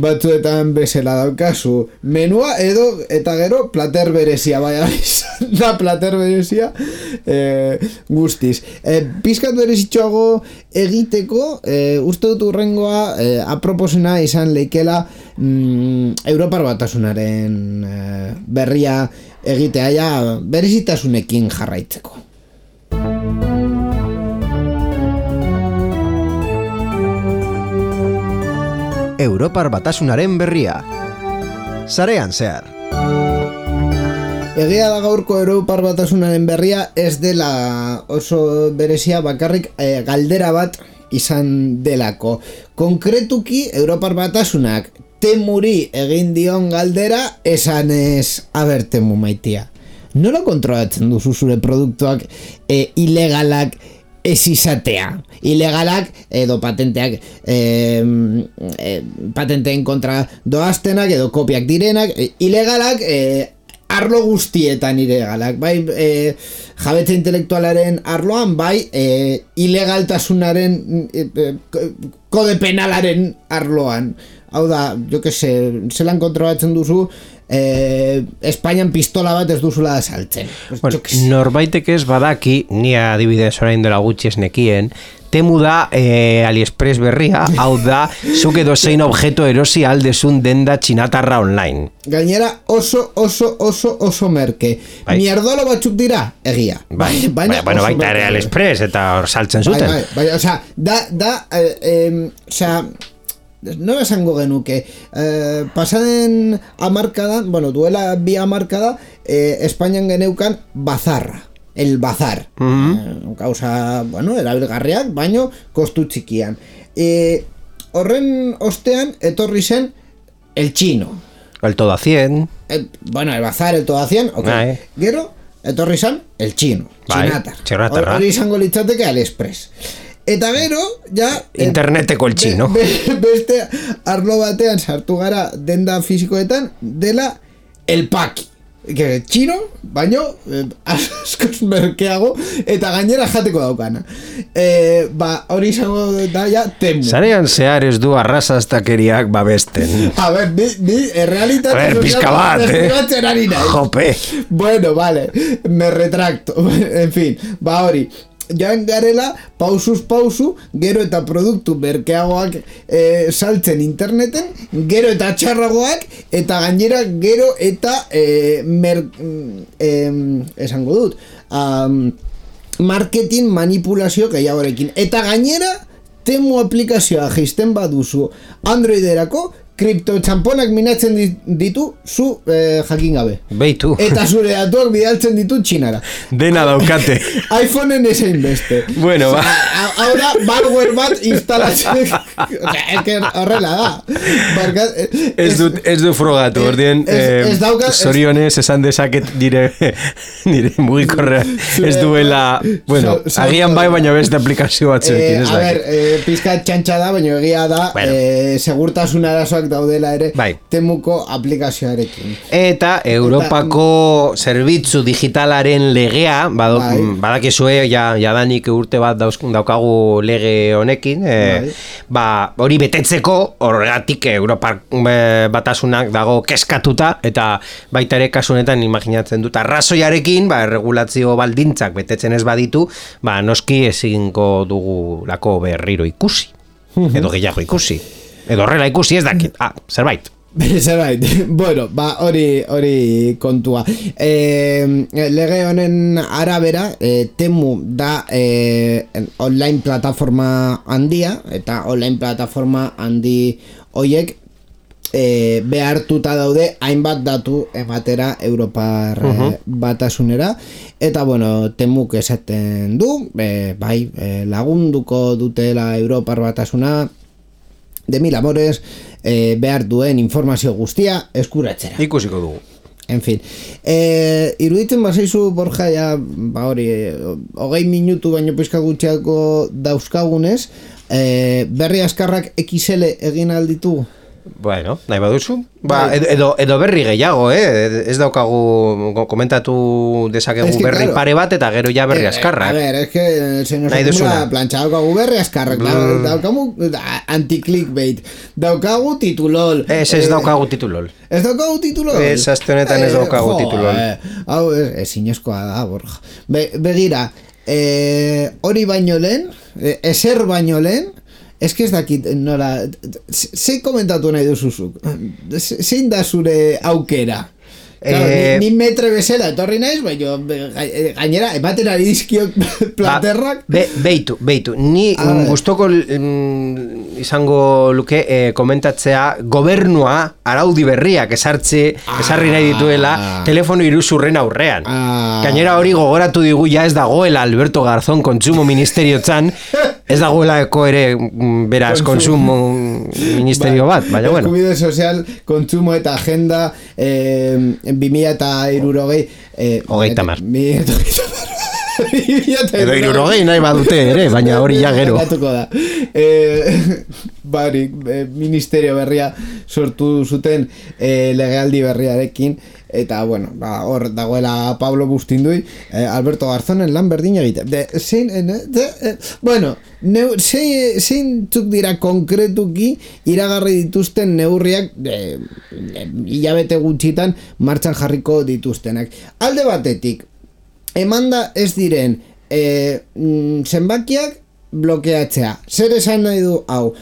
batzuetan bezala daukazu menua edo eta gero plater berezia baina da plater berezia eh, guztiz eh, pizkat berezitxoago egiteko eh, uste dut urrengoa eh, aproposena izan leikela mm, Europar Batasunaren eh, berria egitea ja berezitasunekin jarraitzeko. Europar Batasunaren berria sarean zehar. Egia da gaurko Europar Batasunaren berria ez dela oso berezia bakarrik eh, galdera bat izan delako. Konkretuki Europar Batasunak Temuri egin dion galdera esanez, aber Temu maitia, nola kontrolatzen duzu zure produktuak e, ilegalak ez izatea? Ilegalak edo patenteak e, e, patenteen kontra doaztenak edo kopiak direnak, e, ilegalak e, arlo guztietan ilegalak, bai e, jabetza intelektualaren arloan, bai e, ilegaltasunaren e, e, kode penalaren arloan. Hau da, jo que se, zelan kontrolatzen duzu eh, Espainian pistola bat ez duzula saltzen. Bueno, norbaitek ez badaki, ni adibidez orain dela gutxi ez nekien, temu da eh, AliExpress berria, hau da, zuk edo zein objeto erosi aldezun denda txinatarra online. Gainera oso, oso, oso, oso merke. Bai. Mierdolo batzuk dira, egia. Bai, baina, bueno, baita ere AliExpress eta hor saltzen zuten. Bai, bai, bai, osea, da, da, eh, eh, osea, no esango genuke eh, pasaden amarkadan, bueno, duela bi amarkada eh, Espainian geneukan bazarra, el bazar uh-huh. eh, causa, bueno, erabilgarriak, baino kostu txikian eh, horren ostean etorri zen el chino, el todo a cien el, bueno, el bazar, el todo a cien, okay. Bai. Gero etorri zen el chino, bai, txinatar hori izango litzateke AliExpress. Eta gero, ja... Interneteko el chino. Be, be, beste arlo batean sartu gara denda fisikoetan dela el paki. Que txino, baino eh, askoz merkeago eta gainera jateko daukana. Eh, ba, hori izango da ja Temu. Zarean zehar ez du arrazastakeriak babesten. A ver, ni, ni realitate... A ver, pizka bat, eh? Jope. Bueno, vale, me retracto. En fin, ba hori... Joan garela, pausuz pausu, gero eta produktu merkeagoak e, saltzen interneten, gero eta txarragoak, eta gainera gero eta e, mer, e, esango dut, um, marketing manipulazio gehiagorekin. Eta gainera, Temu aplikazioa jaisten baduzu Androiderako, kripto txamponak minatzen ditu zu eh, jakin gabe. Beitu. Eta zure datuak bidaltzen ditu txinara. Dena daukate. iPhoneen esain beste. Bueno, ba. Ahora, malware bat instalatzen. Horrela da. Barka, ez dut, ez du frogatu, ordien, eh, zorionez esan dezaket nire, nire mugikorra ez duela, bueno, so, so, agian bai, baina beste aplikazio bat zerkin, ez da. A ber, eh, pizka txantxa da, baina egia da, bueno. eh, segurtasun arazoak daudela ere, bai. Temuko aplikazioarekin. Eta Europako eta, zerbitzu digitalaren legea, bado, bai. badakizue, ja, jadanik urte bat dauzkun daukagu lege honekin, eh, bai. ba, hori betetzeko, horregatik Europar batasunak dago keskatuta, eta baita ere kasu honetan imaginatzen dut, arrazoiarekin, ba, erregulazio baldintzak betetzen ez baditu, ba, noski ezingo dugu lako berriro ikusi, edo gehiago ikusi. Edo horrela ikusi ez dakit, ah, zerbait. Zerbait, bueno, ba, hori, hori kontua. E, lege honen arabera, e, Temu da e, online plataforma handia, eta online plataforma handi hoiek e, behartuta daude hainbat datu ematera Europar uh-huh. batasunera, eta bueno, Temuk esaten du, e, bai, e, lagunduko dutela Europar batasuna, de mil amores, eh, behar duen informazio guztia eskuratzera. Ikusiko dugu. En fin, eh, iruditzen bazaizu, Borja, ja, ba hori, hogei minutu baino pizka gutxiako dauzkagunez, eh, berri askarrak X L egin alditu? Bueno, nahi baduzu. Ba, edo, edo berri gehiago, eh? Ez daukagu komentatu dezakegu es que, berri claro, pare bat eta gero ja berri askarrak. A ver, es que el señor Acumula plancha daukagu berri askarrak, mm. claro, daukagu anti-clickbait, daukagu titulol. Ez ez eh, daukagu titulol. Ez daukagu titulol? Ez aztenetan ez daukagu eh, titulol. Hau, eh, ez inezkoa da, Borja. Be, begira, eh, hori baino lehen, eh, ezer baino lehen, ez que ez dakit nola, zein komentatu nahi duzuzuk? Zein da zure aukera? Claro, eh, ni, ni metre bezala etorri naiz, baina gainera ematen ari dizkiok platerrak. Ba, be, beitu, beitu. Ni gustoko mm, izango luke eh, komentatzea gobernua araudi berriak esartze, ah, esarri nahi dituela telefono iruzurren aurrean. Ah, gainera hori gogoratu digu ja ez dagoela Alberto Garzón kontsumo ministeriotzan, ez dagoelako ere beraz kontsumo ministerio bat, baina bueno. Eskubide sozial, kontsumo eta agenda eh, bi mila eta hirurogei hogei tamar edo hirurogei nahi badute ere, baina hori ja gero da. Eh, barik e, ministerio berria sortu zuten e, legealdi berriarekin, eta bueno, ba, hor dagoela Pablo Bustindui, eh, Alberto Garzonen lan berdina egite. De, zein, eh, de, eh, bueno, neu, zein, zein txuk dira konkretuki iragarri dituzten neurriak eh, hilabete gutxitan martxan jarriko dituztenak. Alde batetik, emanda ez diren eh, zenbakiak blokeatzea. Zer esan nahi du hau?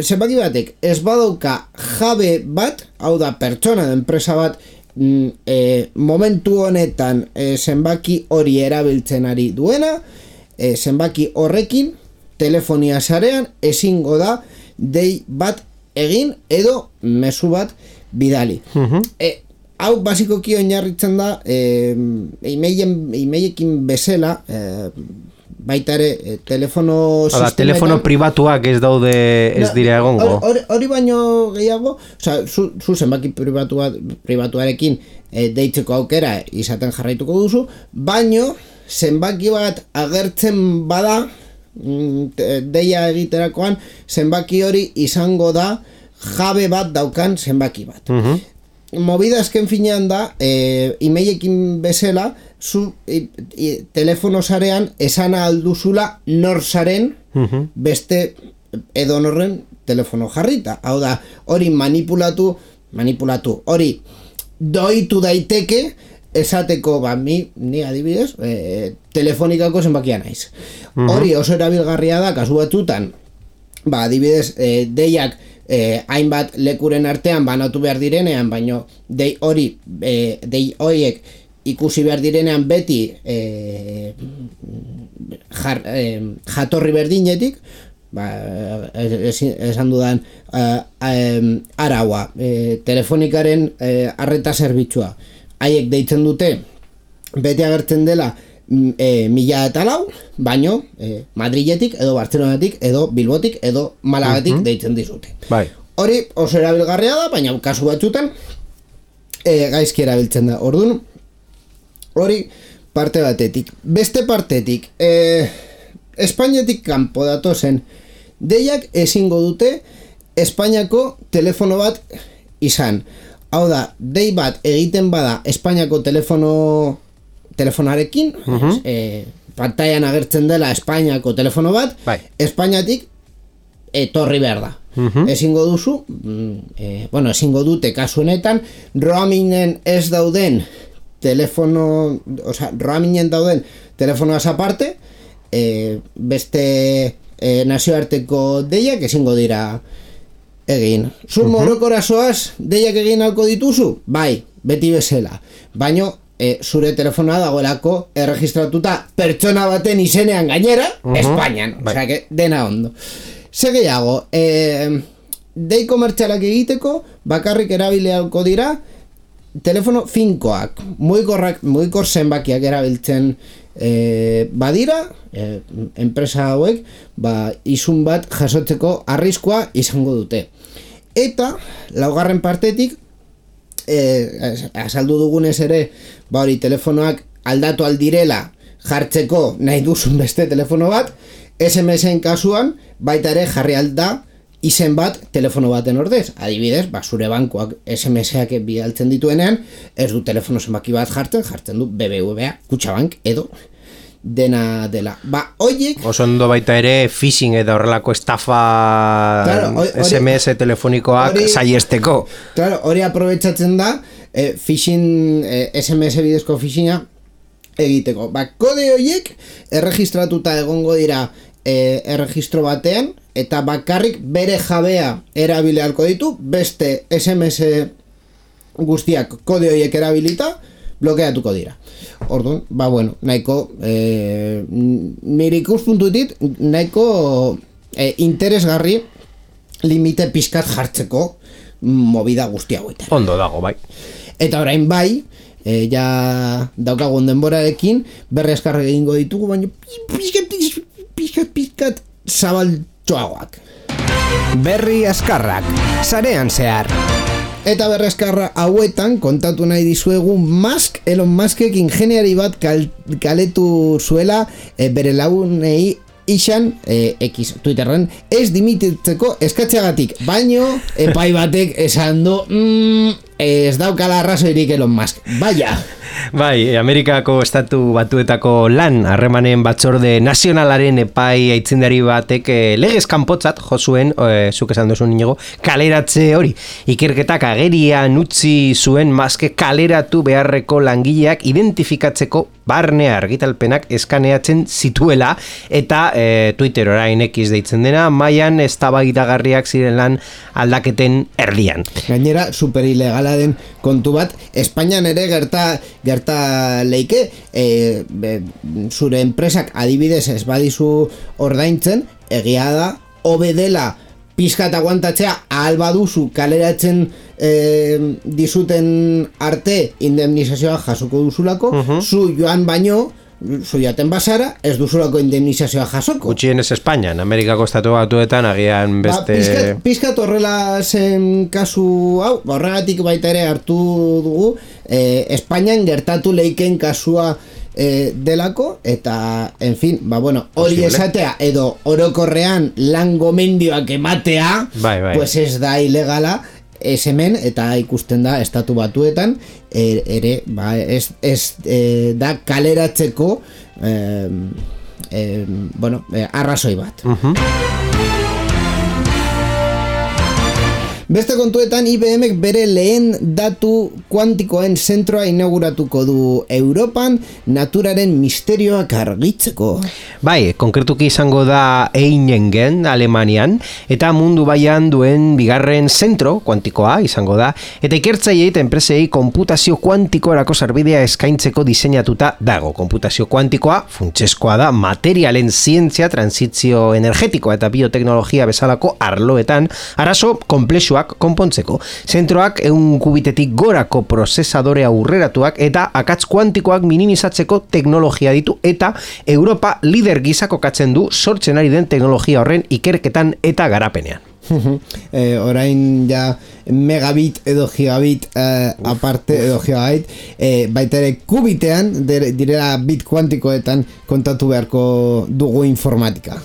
Zenbaki batek ez badauka jabe bat, hau da pertsona da enpresa bat, E, momentu honetan e, zenbaki hori erabiltzen ari duena, e, zenbaki horrekin telefonia sarean ezingo da dei bat egin edo mezu bat bidali. Uh-huh. E, hau basikoki oinarritzen da e, e-mailekin bezala, e, baita ere e, telefono sistema, telefono pribatuak ez daude ez no, dira egongo. Hori, hori baino gehiago, osea, zu, zu zenbaki pribatua, pribatuarekin e, deitzeko aukera izaten jarraituko duzu, baino zenbaki bat agertzen bada deia egiterakoan, zenbaki hori izango da jabe bat daukan zenbaki bat. Uh-huh. Movida azken finean da, e, e-mailekin bezala, zu e, e, telefono sarean esan alduzula nor zaren uh-huh. beste edonorren telefono jarrita. Hau da, hori manipulatu, manipulatu, hori doitu daiteke esateko, ba, mi, ni adibidez, e, telefonikako zenbakia naiz. Uh-huh. Hori oso erabilgarria da, kasu batzutan, ba, adibidez, e, deiak Eh, hainbat lekuren artean banatu behar direnean, baino dei hori eh, dei horiek ikusi behar direnean beti eh, jar, eh, jatorri berdinetik, ba, es, esan dudan eh, eh, araua eh, telefonikaren eh, arreta zerbitzua haiek deitzen dute beti agertzen dela E, mila eta lau, baino e, Madriletik, edo Bartzelonatik, edo Bilbotik, edo Malagatik uh-huh. deitzen dizute. Bai. Hori oso erabilgarria da, baina kasu batzutan e, gaizki erabiltzen da. Orduan, hori parte batetik. Beste partetik, e, Espainiatik kanpo datozen deiak ezingo dute Espainiako telefono bat izan. Hau da, dei bat egiten bada Espainiako telefono telefonarekin, uh-huh. e, pantailan agertzen dela Espainiako telefono bat, bai. Espainiatik etorri behar da. Uh-huh. Ezingo duzu, e, bueno, ezingo dute kasu honetan, roamingen ez dauden telefono, oza, roamingen dauden telefonoaz aparte, e, beste e, nazioarteko deiak ezingo dira egin. Zu uh-huh. morokorazoaz deiak egin alko dituzu? Bai, beti bezala. Baino, E, zure telefonoa dagoelako erregistratuta pertsona baten izenean gainera, uh-huh. Espainian, bai. Osea, que dena ondo. Ze gehiago, e, dei komertzialak egiteko bakarrik erabileako dira telefono finkoak, mugikorrak, mugikor zenbakiak erabiltzen e, badira, e, enpresa hauek, ba, izun bat jasotzeko arriskua izango dute. Eta, laugarren partetik, Eh, azaldu dugunez ere, ba hori telefonoak aldatu aldirela jartzeko nahi duzun beste telefono bat, S M S-en kasuan baita ere jarri alda izen bat telefono baten ordez. Adibidez, ba zure bankoak S M S-ak bidaltzen dituenean, ez du telefono zenbaki bat jartzen, jartzen du B B V A, Kutxabank edo dena dela. Ba, oiek... Oso ondo baita ere phishing edo horrelako estafa claro, ori, S M S telefonikoak saiesteko. Claro, hori aprobetxatzen da eh, phishing, eh, S M S bidezko phishinga egiteko. Ba, kode horiek erregistratuta egongo dira eh, erregistro batean, eta bakarrik bere jabea erabilealko ditu, beste S M S guztiak kode horiek erabilita, blokeatuko dira. Orduan, ba bueno, nahiko eh, nire ikuspuntutik nahiko eh, interesgarri limite pizkat jartzeko movida guzti hauetan. Ondo dago, bai. Eta orain bai, eh, ja daukagun denborarekin berri eskarra egingo ditugu, baina pizkat, pizkat, pizkat zabaltxoagoak. Berri askarrak, sarean zehar. Eta berrezkarra hauetan kontatu nahi dizuegu Musk, Elon Muskek ingeniari bat kal, kaletu zuela e, bere lagunei ixan, e, X Twitterren, ez dimititzeko eskatxeagatik, baino epai batek esan du, mm, ez daukala arrazoirik Elon Musk. Baia! Bai, Amerikako estatu batuetako lan harremanen batzorde nazionalaren epai aitzindari batek eh, legez kanpotzat jo zuen, eh, zuk esan duzun Inigo, kaleratze hori. Ikerketak agerian utzi zuen Musk kaleratu beharreko langileak identifikatzeko barne argitalpenak eskaneatzen zituela eta e, Twitter orain X deitzen dena, mailan eztabaidagarriak ziren lan aldaketen erdian. Gainera, super ilegala den kontu bat, Espainian ere gerta gerta leike, e, be, zure enpresak adibidez ez badizu ordaintzen, egia da, hobe dela pizkat aguantatzea ahal baduzu kaleratzen eh, dizuten arte indemnizazioa jasoko duzulako, uh-huh. zu joan baino, zu jaten basara, ez duzulako indemnizazioa jasoko. Gutxienez Espainian, Amerikako estatu batuetan agian beste... Ba, pizkat, pizkat horrela zen kasu hau, horregatik baita ere hartu dugu, eh, Espainian gertatu leiken kasua E, delako, eta en fin, ba bueno, hori esatea edo orokorrean lan gomendioak ematea, bai, bai. Pues ez da ilegala, ez hemen, eta ikusten da estatu batuetan er, ere, ba, ez, ez e, da kaleratzeko e, e, bueno, e, arrazoi bat. Uh-huh. Beste kontuetan, I B Mek bere lehen datu kuantikoen zentroa inauguratuko du Europan naturaren misterioak argitzeko. Bai, konkretuki izango da Einingen, Alemanian, eta mundu baian duen bigarren zentro kuantikoa izango da, eta ikertzaileei eta enpresei konputazio kuantikoerako sarbidea eskaintzeko diseinatuta dago. Konputazio kuantikoa funtsezkoa da materialen zientzia, transizio energetikoa eta bioteknologia bezalako arloetan arazo konplexua konpontzeko. Zentroak ehun kubitetik gorako prozesadore aurreratuak eta akats kuantikoak minimizatzeko teknologia ditu eta Europa lider gisa kokatzen du sortzen ari den teknologia horren ikerketan eta garapenean. eh, orain ja megabit edo gigabit eh, aparte edo gigabit eh, baita ere kubitean direla bit kuantikoetan kontatu beharko dugu informatika.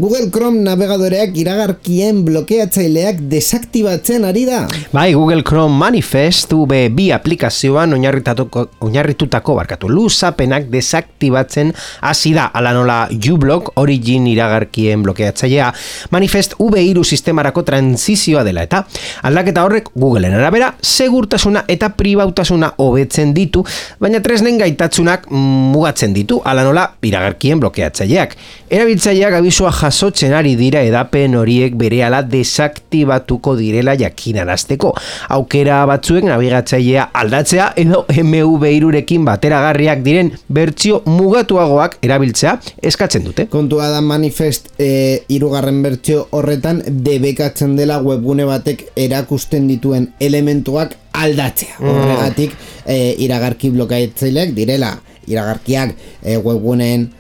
Google Chrome navegadoreak iragarkien blokeatzaileak desaktibatzen ari da. Bai, Google Chrome Manifest U B bi aplikazioan oinarritutako barkatu luzapenak desaktibatzen hasi da, ala nola uBlock Origin iragarkien blokeatzailea. Manifest U B hiru sistemarako transizioa dela eta aldaketa horrek Googleen arabera segurtasuna eta pribautasuna hobetzen ditu, baina tresnen gaitatzunak mugatzen ditu, ala nola iragarkien blokeatzaileak. Erabiltzaileak abisua jasotzen ari dira edapen horiek berehala desaktibatuko direla jakinarazteko. Aukera batzuek nabigatzailea aldatzea edo M V hirurekin bateragarriak diren bertsio mugatuagoak erabiltzea eskatzen dute. Kontua da Manifest e, hirugarren bertsio horretan debekatzen dela webgune batek erakusten dituen elementuak aldatzea. Mm. Horregatik e, iragarki blokeatzaileak direla iragarkiak e, webguneen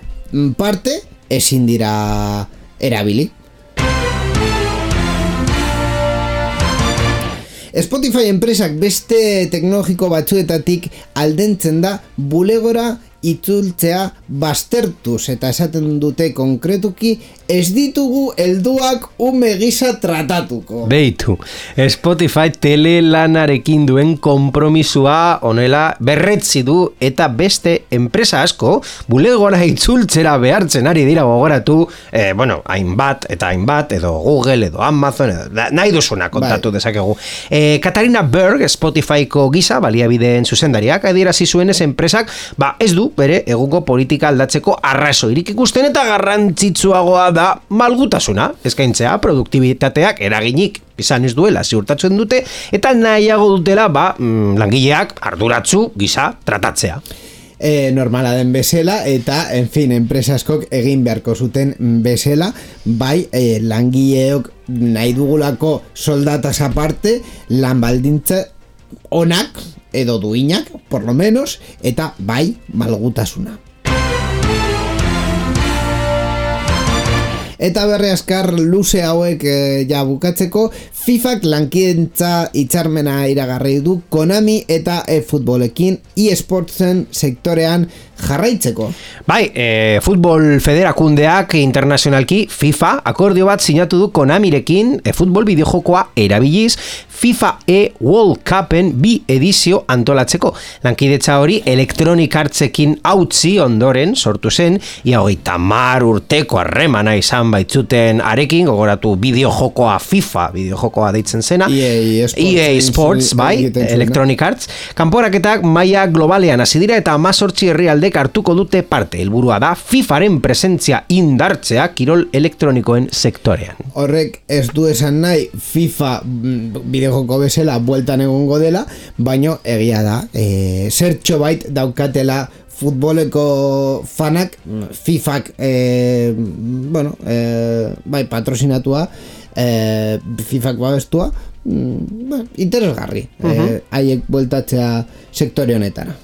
parte ezin dira erabili. Spotify enpresak beste teknologiko batzuetatik aldentzen da bulegora itzultzea baztertuz eta esaten dute konkretuki ez ditugu helduak ume gisa tratatuko. Beitu, Spotify telelanarekin duen konpromisua honela berretzi du eta beste enpresa asko bulegora itzultzera behartzen ari dira gogoratu, eh, bueno, hainbat eta hainbat edo Google edo Amazon edo, nahi duzuna kontatu bai. Dezakegu. Eh, Katarina Berg, Spotifyko gisa baliabideen zuzendariak adierazi zuenez enpresak, ba ez du bere egungo politika aldatzeko arrazoirik ikusten eta garrantzitsuagoa da malgutasuna eskaintzea, produktibitateak eraginik izan ez duela ziurtatzen dute eta nahiago dutela ba, mm, langileak arduratsu gisa tratatzea. E, normala den bezala eta en fin, enpresa askok egin beharko zuten bezala, bai e, langileok nahi dugulako soldataz aparte lan baldintza onak edo duinak, por lo menos, eta bai malgutasuna. Eta berre askar luze hauek e, ja bukatzeko, FIFAk lankidetza hitzarmena iragarri du Konami eta e-futbolekin e-sportsen sektorean jarraitzeko. Bai, e, futbol federakundeak internazionalki FIFA akordio bat sinatu du Konamirekin e-futbol bideojokoa erabiliz FIFA E World Cupen bi edizio antolatzeko. Lankidetza hori Electronic Artsekin hautzi ondoren sortu zen, ia hogeita hamar urteko harremana izan baitzuten arekin, gogoratu bideojokoa FIFA, bideojokoa deitzen zena, E A Sports, E A Sports bai, Electronic Arts. Kanporaketak maila globalean hasi dira eta hemezortzi herrialdek hartuko dute parte. Helburua da FIFAren presentzia indartzea kirol elektronikoen sektorean. Horrek ez du esan nahi FIFA bideojoko bezala bueltan egongo dela, baino egia da, e, zertxo bait daukatela futboleko fanak FIFak e, bueno, e, bai patrosinatua, e, FIFak babestua, mm, bueno, interesgarri uh-huh. e, haiek bueltatzea sektore honetara.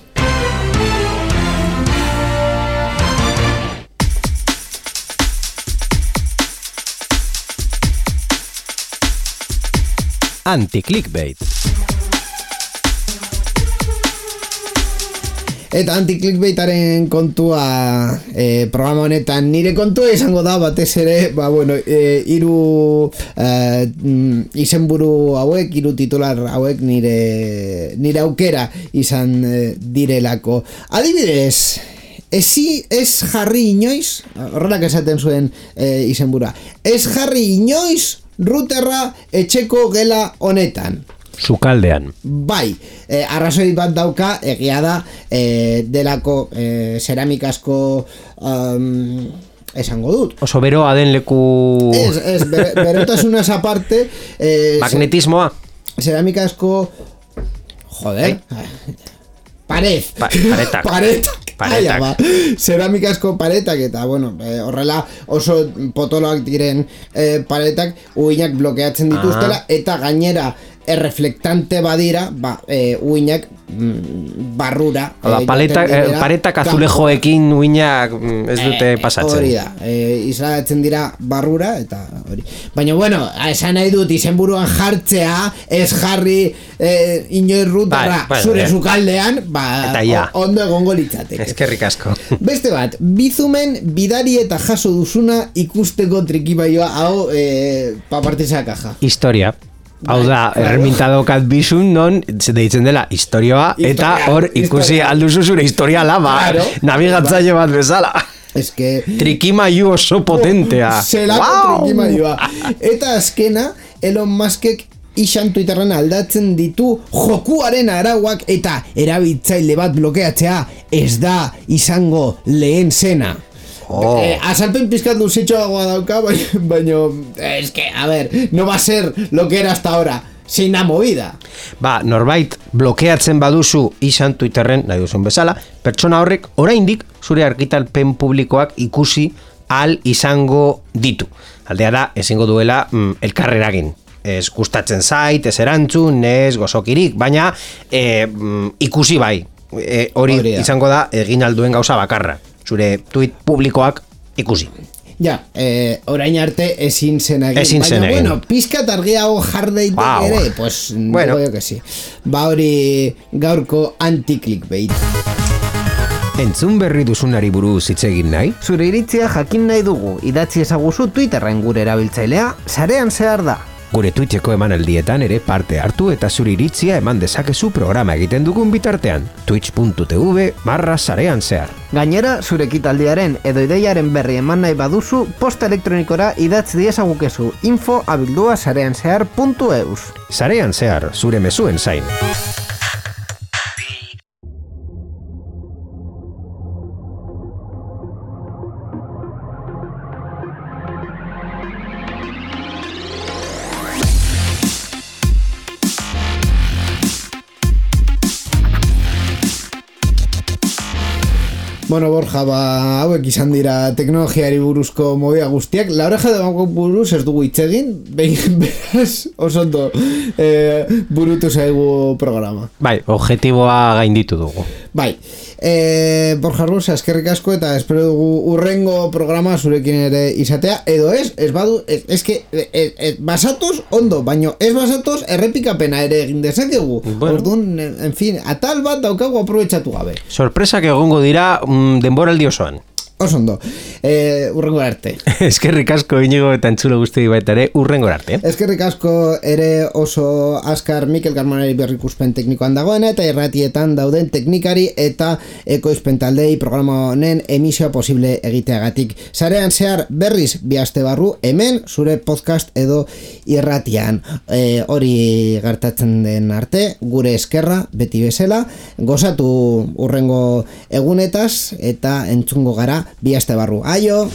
Anti-clickbait. Eta anti-clickbaitaren kontua e, programa honetan nire kontua izango da batez ere, ba bueno, e, hiru e, izenburu hauek, hiru titular hauek nire nire aukera izan e, direlako. Adibidez, ezi ez jarri inoiz, horrelak esaten zuen e, izenbura, ez jarri inoiz routerra etxeko gela honetan. Sukaldean. Bai, eh, arrazoi bat dauka, egia da, eh, delako eh, ceramikasko um, esango dut. Oso beroa den leku... Ez, ez, bere, berotasunaz aparte... Eh, Magnetismoa. Ceramikasko... Joder... Pared. Pa, paretak. Paretak. Paretak. Ba. Ceramikasko paretak eta, bueno, eh, horrela oso potoloak diren eh, paretak uinak blokeatzen dituztela ah. eta gainera erreflektante badira, ba, e, uinak mm, barrura. Oda, e, paletak, e, paretak azulejoekin uinak ez dute e, pasatzen. Hori da, e, islatzen dira barrura, eta hori. Baina, bueno, esan nahi dut, izenburuan jartzea, ez jarri e, inoiz rutarra bai, zure bai, zukaldean, ba, ja. o, ondo egongo litzateke. Eskerrik asko. Beste bat, bizumen bidari eta jaso duzuna ikusteko trikibaioa, hau, e, paparteza kaja. Historia. Hau da, erremintadokat bizun non deitzen dela historioa eta hor ikusi alduzu zure historiala, ba, claro, nabigatzaile bat bezala. Es que... Trikimailu oso potentea. Zelako wow! Trikimailua. Eta azkena, Elon Muskek izan Twitterren aldatzen ditu jokuaren arauak eta erabiltzaile bat blokeatzea ez da izango lehen zena. Oh. Eh, azalpen pizkat duzitxoagoa dauka, baina, es que, a ver, no va a ser lo que era hasta ahora, sin la movida. Ba, norbait blokeatzen baduzu izan Twitterren, nahi duzun bezala, pertsona horrek oraindik zure argitalpen publikoak ikusi al izango ditu. Aldea da, ezingo duela mm, elkarreragin. Ez gustatzen zait, ez erantzun, ez gozokirik, baina e, mm, ikusi bai. E, hori izango da egin alduen gauza bakarra. Zure tweet publikoak ikusi. Ja, eh, orain arte ezin zen egin. Ezin zen egin. Baina, bueno, pizkat argiago jardeitek wow. ere, pues, bueno. digo yo que sí. Ba hori gaurko anti-clickbait. Entzun berri duzunari buruz hitz egin nahi? Zure iritzia jakin nahi dugu, idatzi ezaguzu Twitterren gure erabiltzailea, sarean zehar da. Gure Twitcheko emanaldietan ere parte hartu eta zure iritzia eman dezakezu programa egiten dugun bitartean. twitch.tv barra sarean zehar. Gainera, zure ekitaldiaren edo ideiaren berri eman nahi baduzu, posta elektronikora idatzi diezagukezu info abildua sarean zehar puntu eus. Sarean zehar, zure mezuen zain. Bueno, Borja, ba, hauek izan dira teknologiari buruzko movida guztiak. La oreja de banco buruz ez dugu hitz egin, beraz, osondo eh, burutu zaigu programa. Bai, objetiboa gainditu dugu. Bai, E, Borja Ruz, eskerrik asko eta espero dugu urrengo programa zurekin ere izatea, edo ez, ez badu, ez, ez que, ez, ez, basatoz ondo, baino ez basatoz errepikapena ere egin dezakegu. Bueno. Orduan, en fin, atal bat daukagu aprobetxatu gabe. Sorpresak egongo dira mm, denboraldi osoan. Oso ondo, e, urrengo arte. Eskerrik asko Inigo eta entzulo guzti baita ere urrengo arte. Eskerrik asko ere oso azkar Mikel Garmonari berrikuspen teknikoan dagoena eta irratietan dauden teknikari eta ekoizpen taldei programa honen emisioa posible egiteagatik. Sarean zehar berriz bi aste barru hemen zure podcast edo irratian. E, hori gertatzen den arte, gure eskerra beti bezala, gozatu urrengo egunetaz eta entzungo gara bi aste barru. Aio!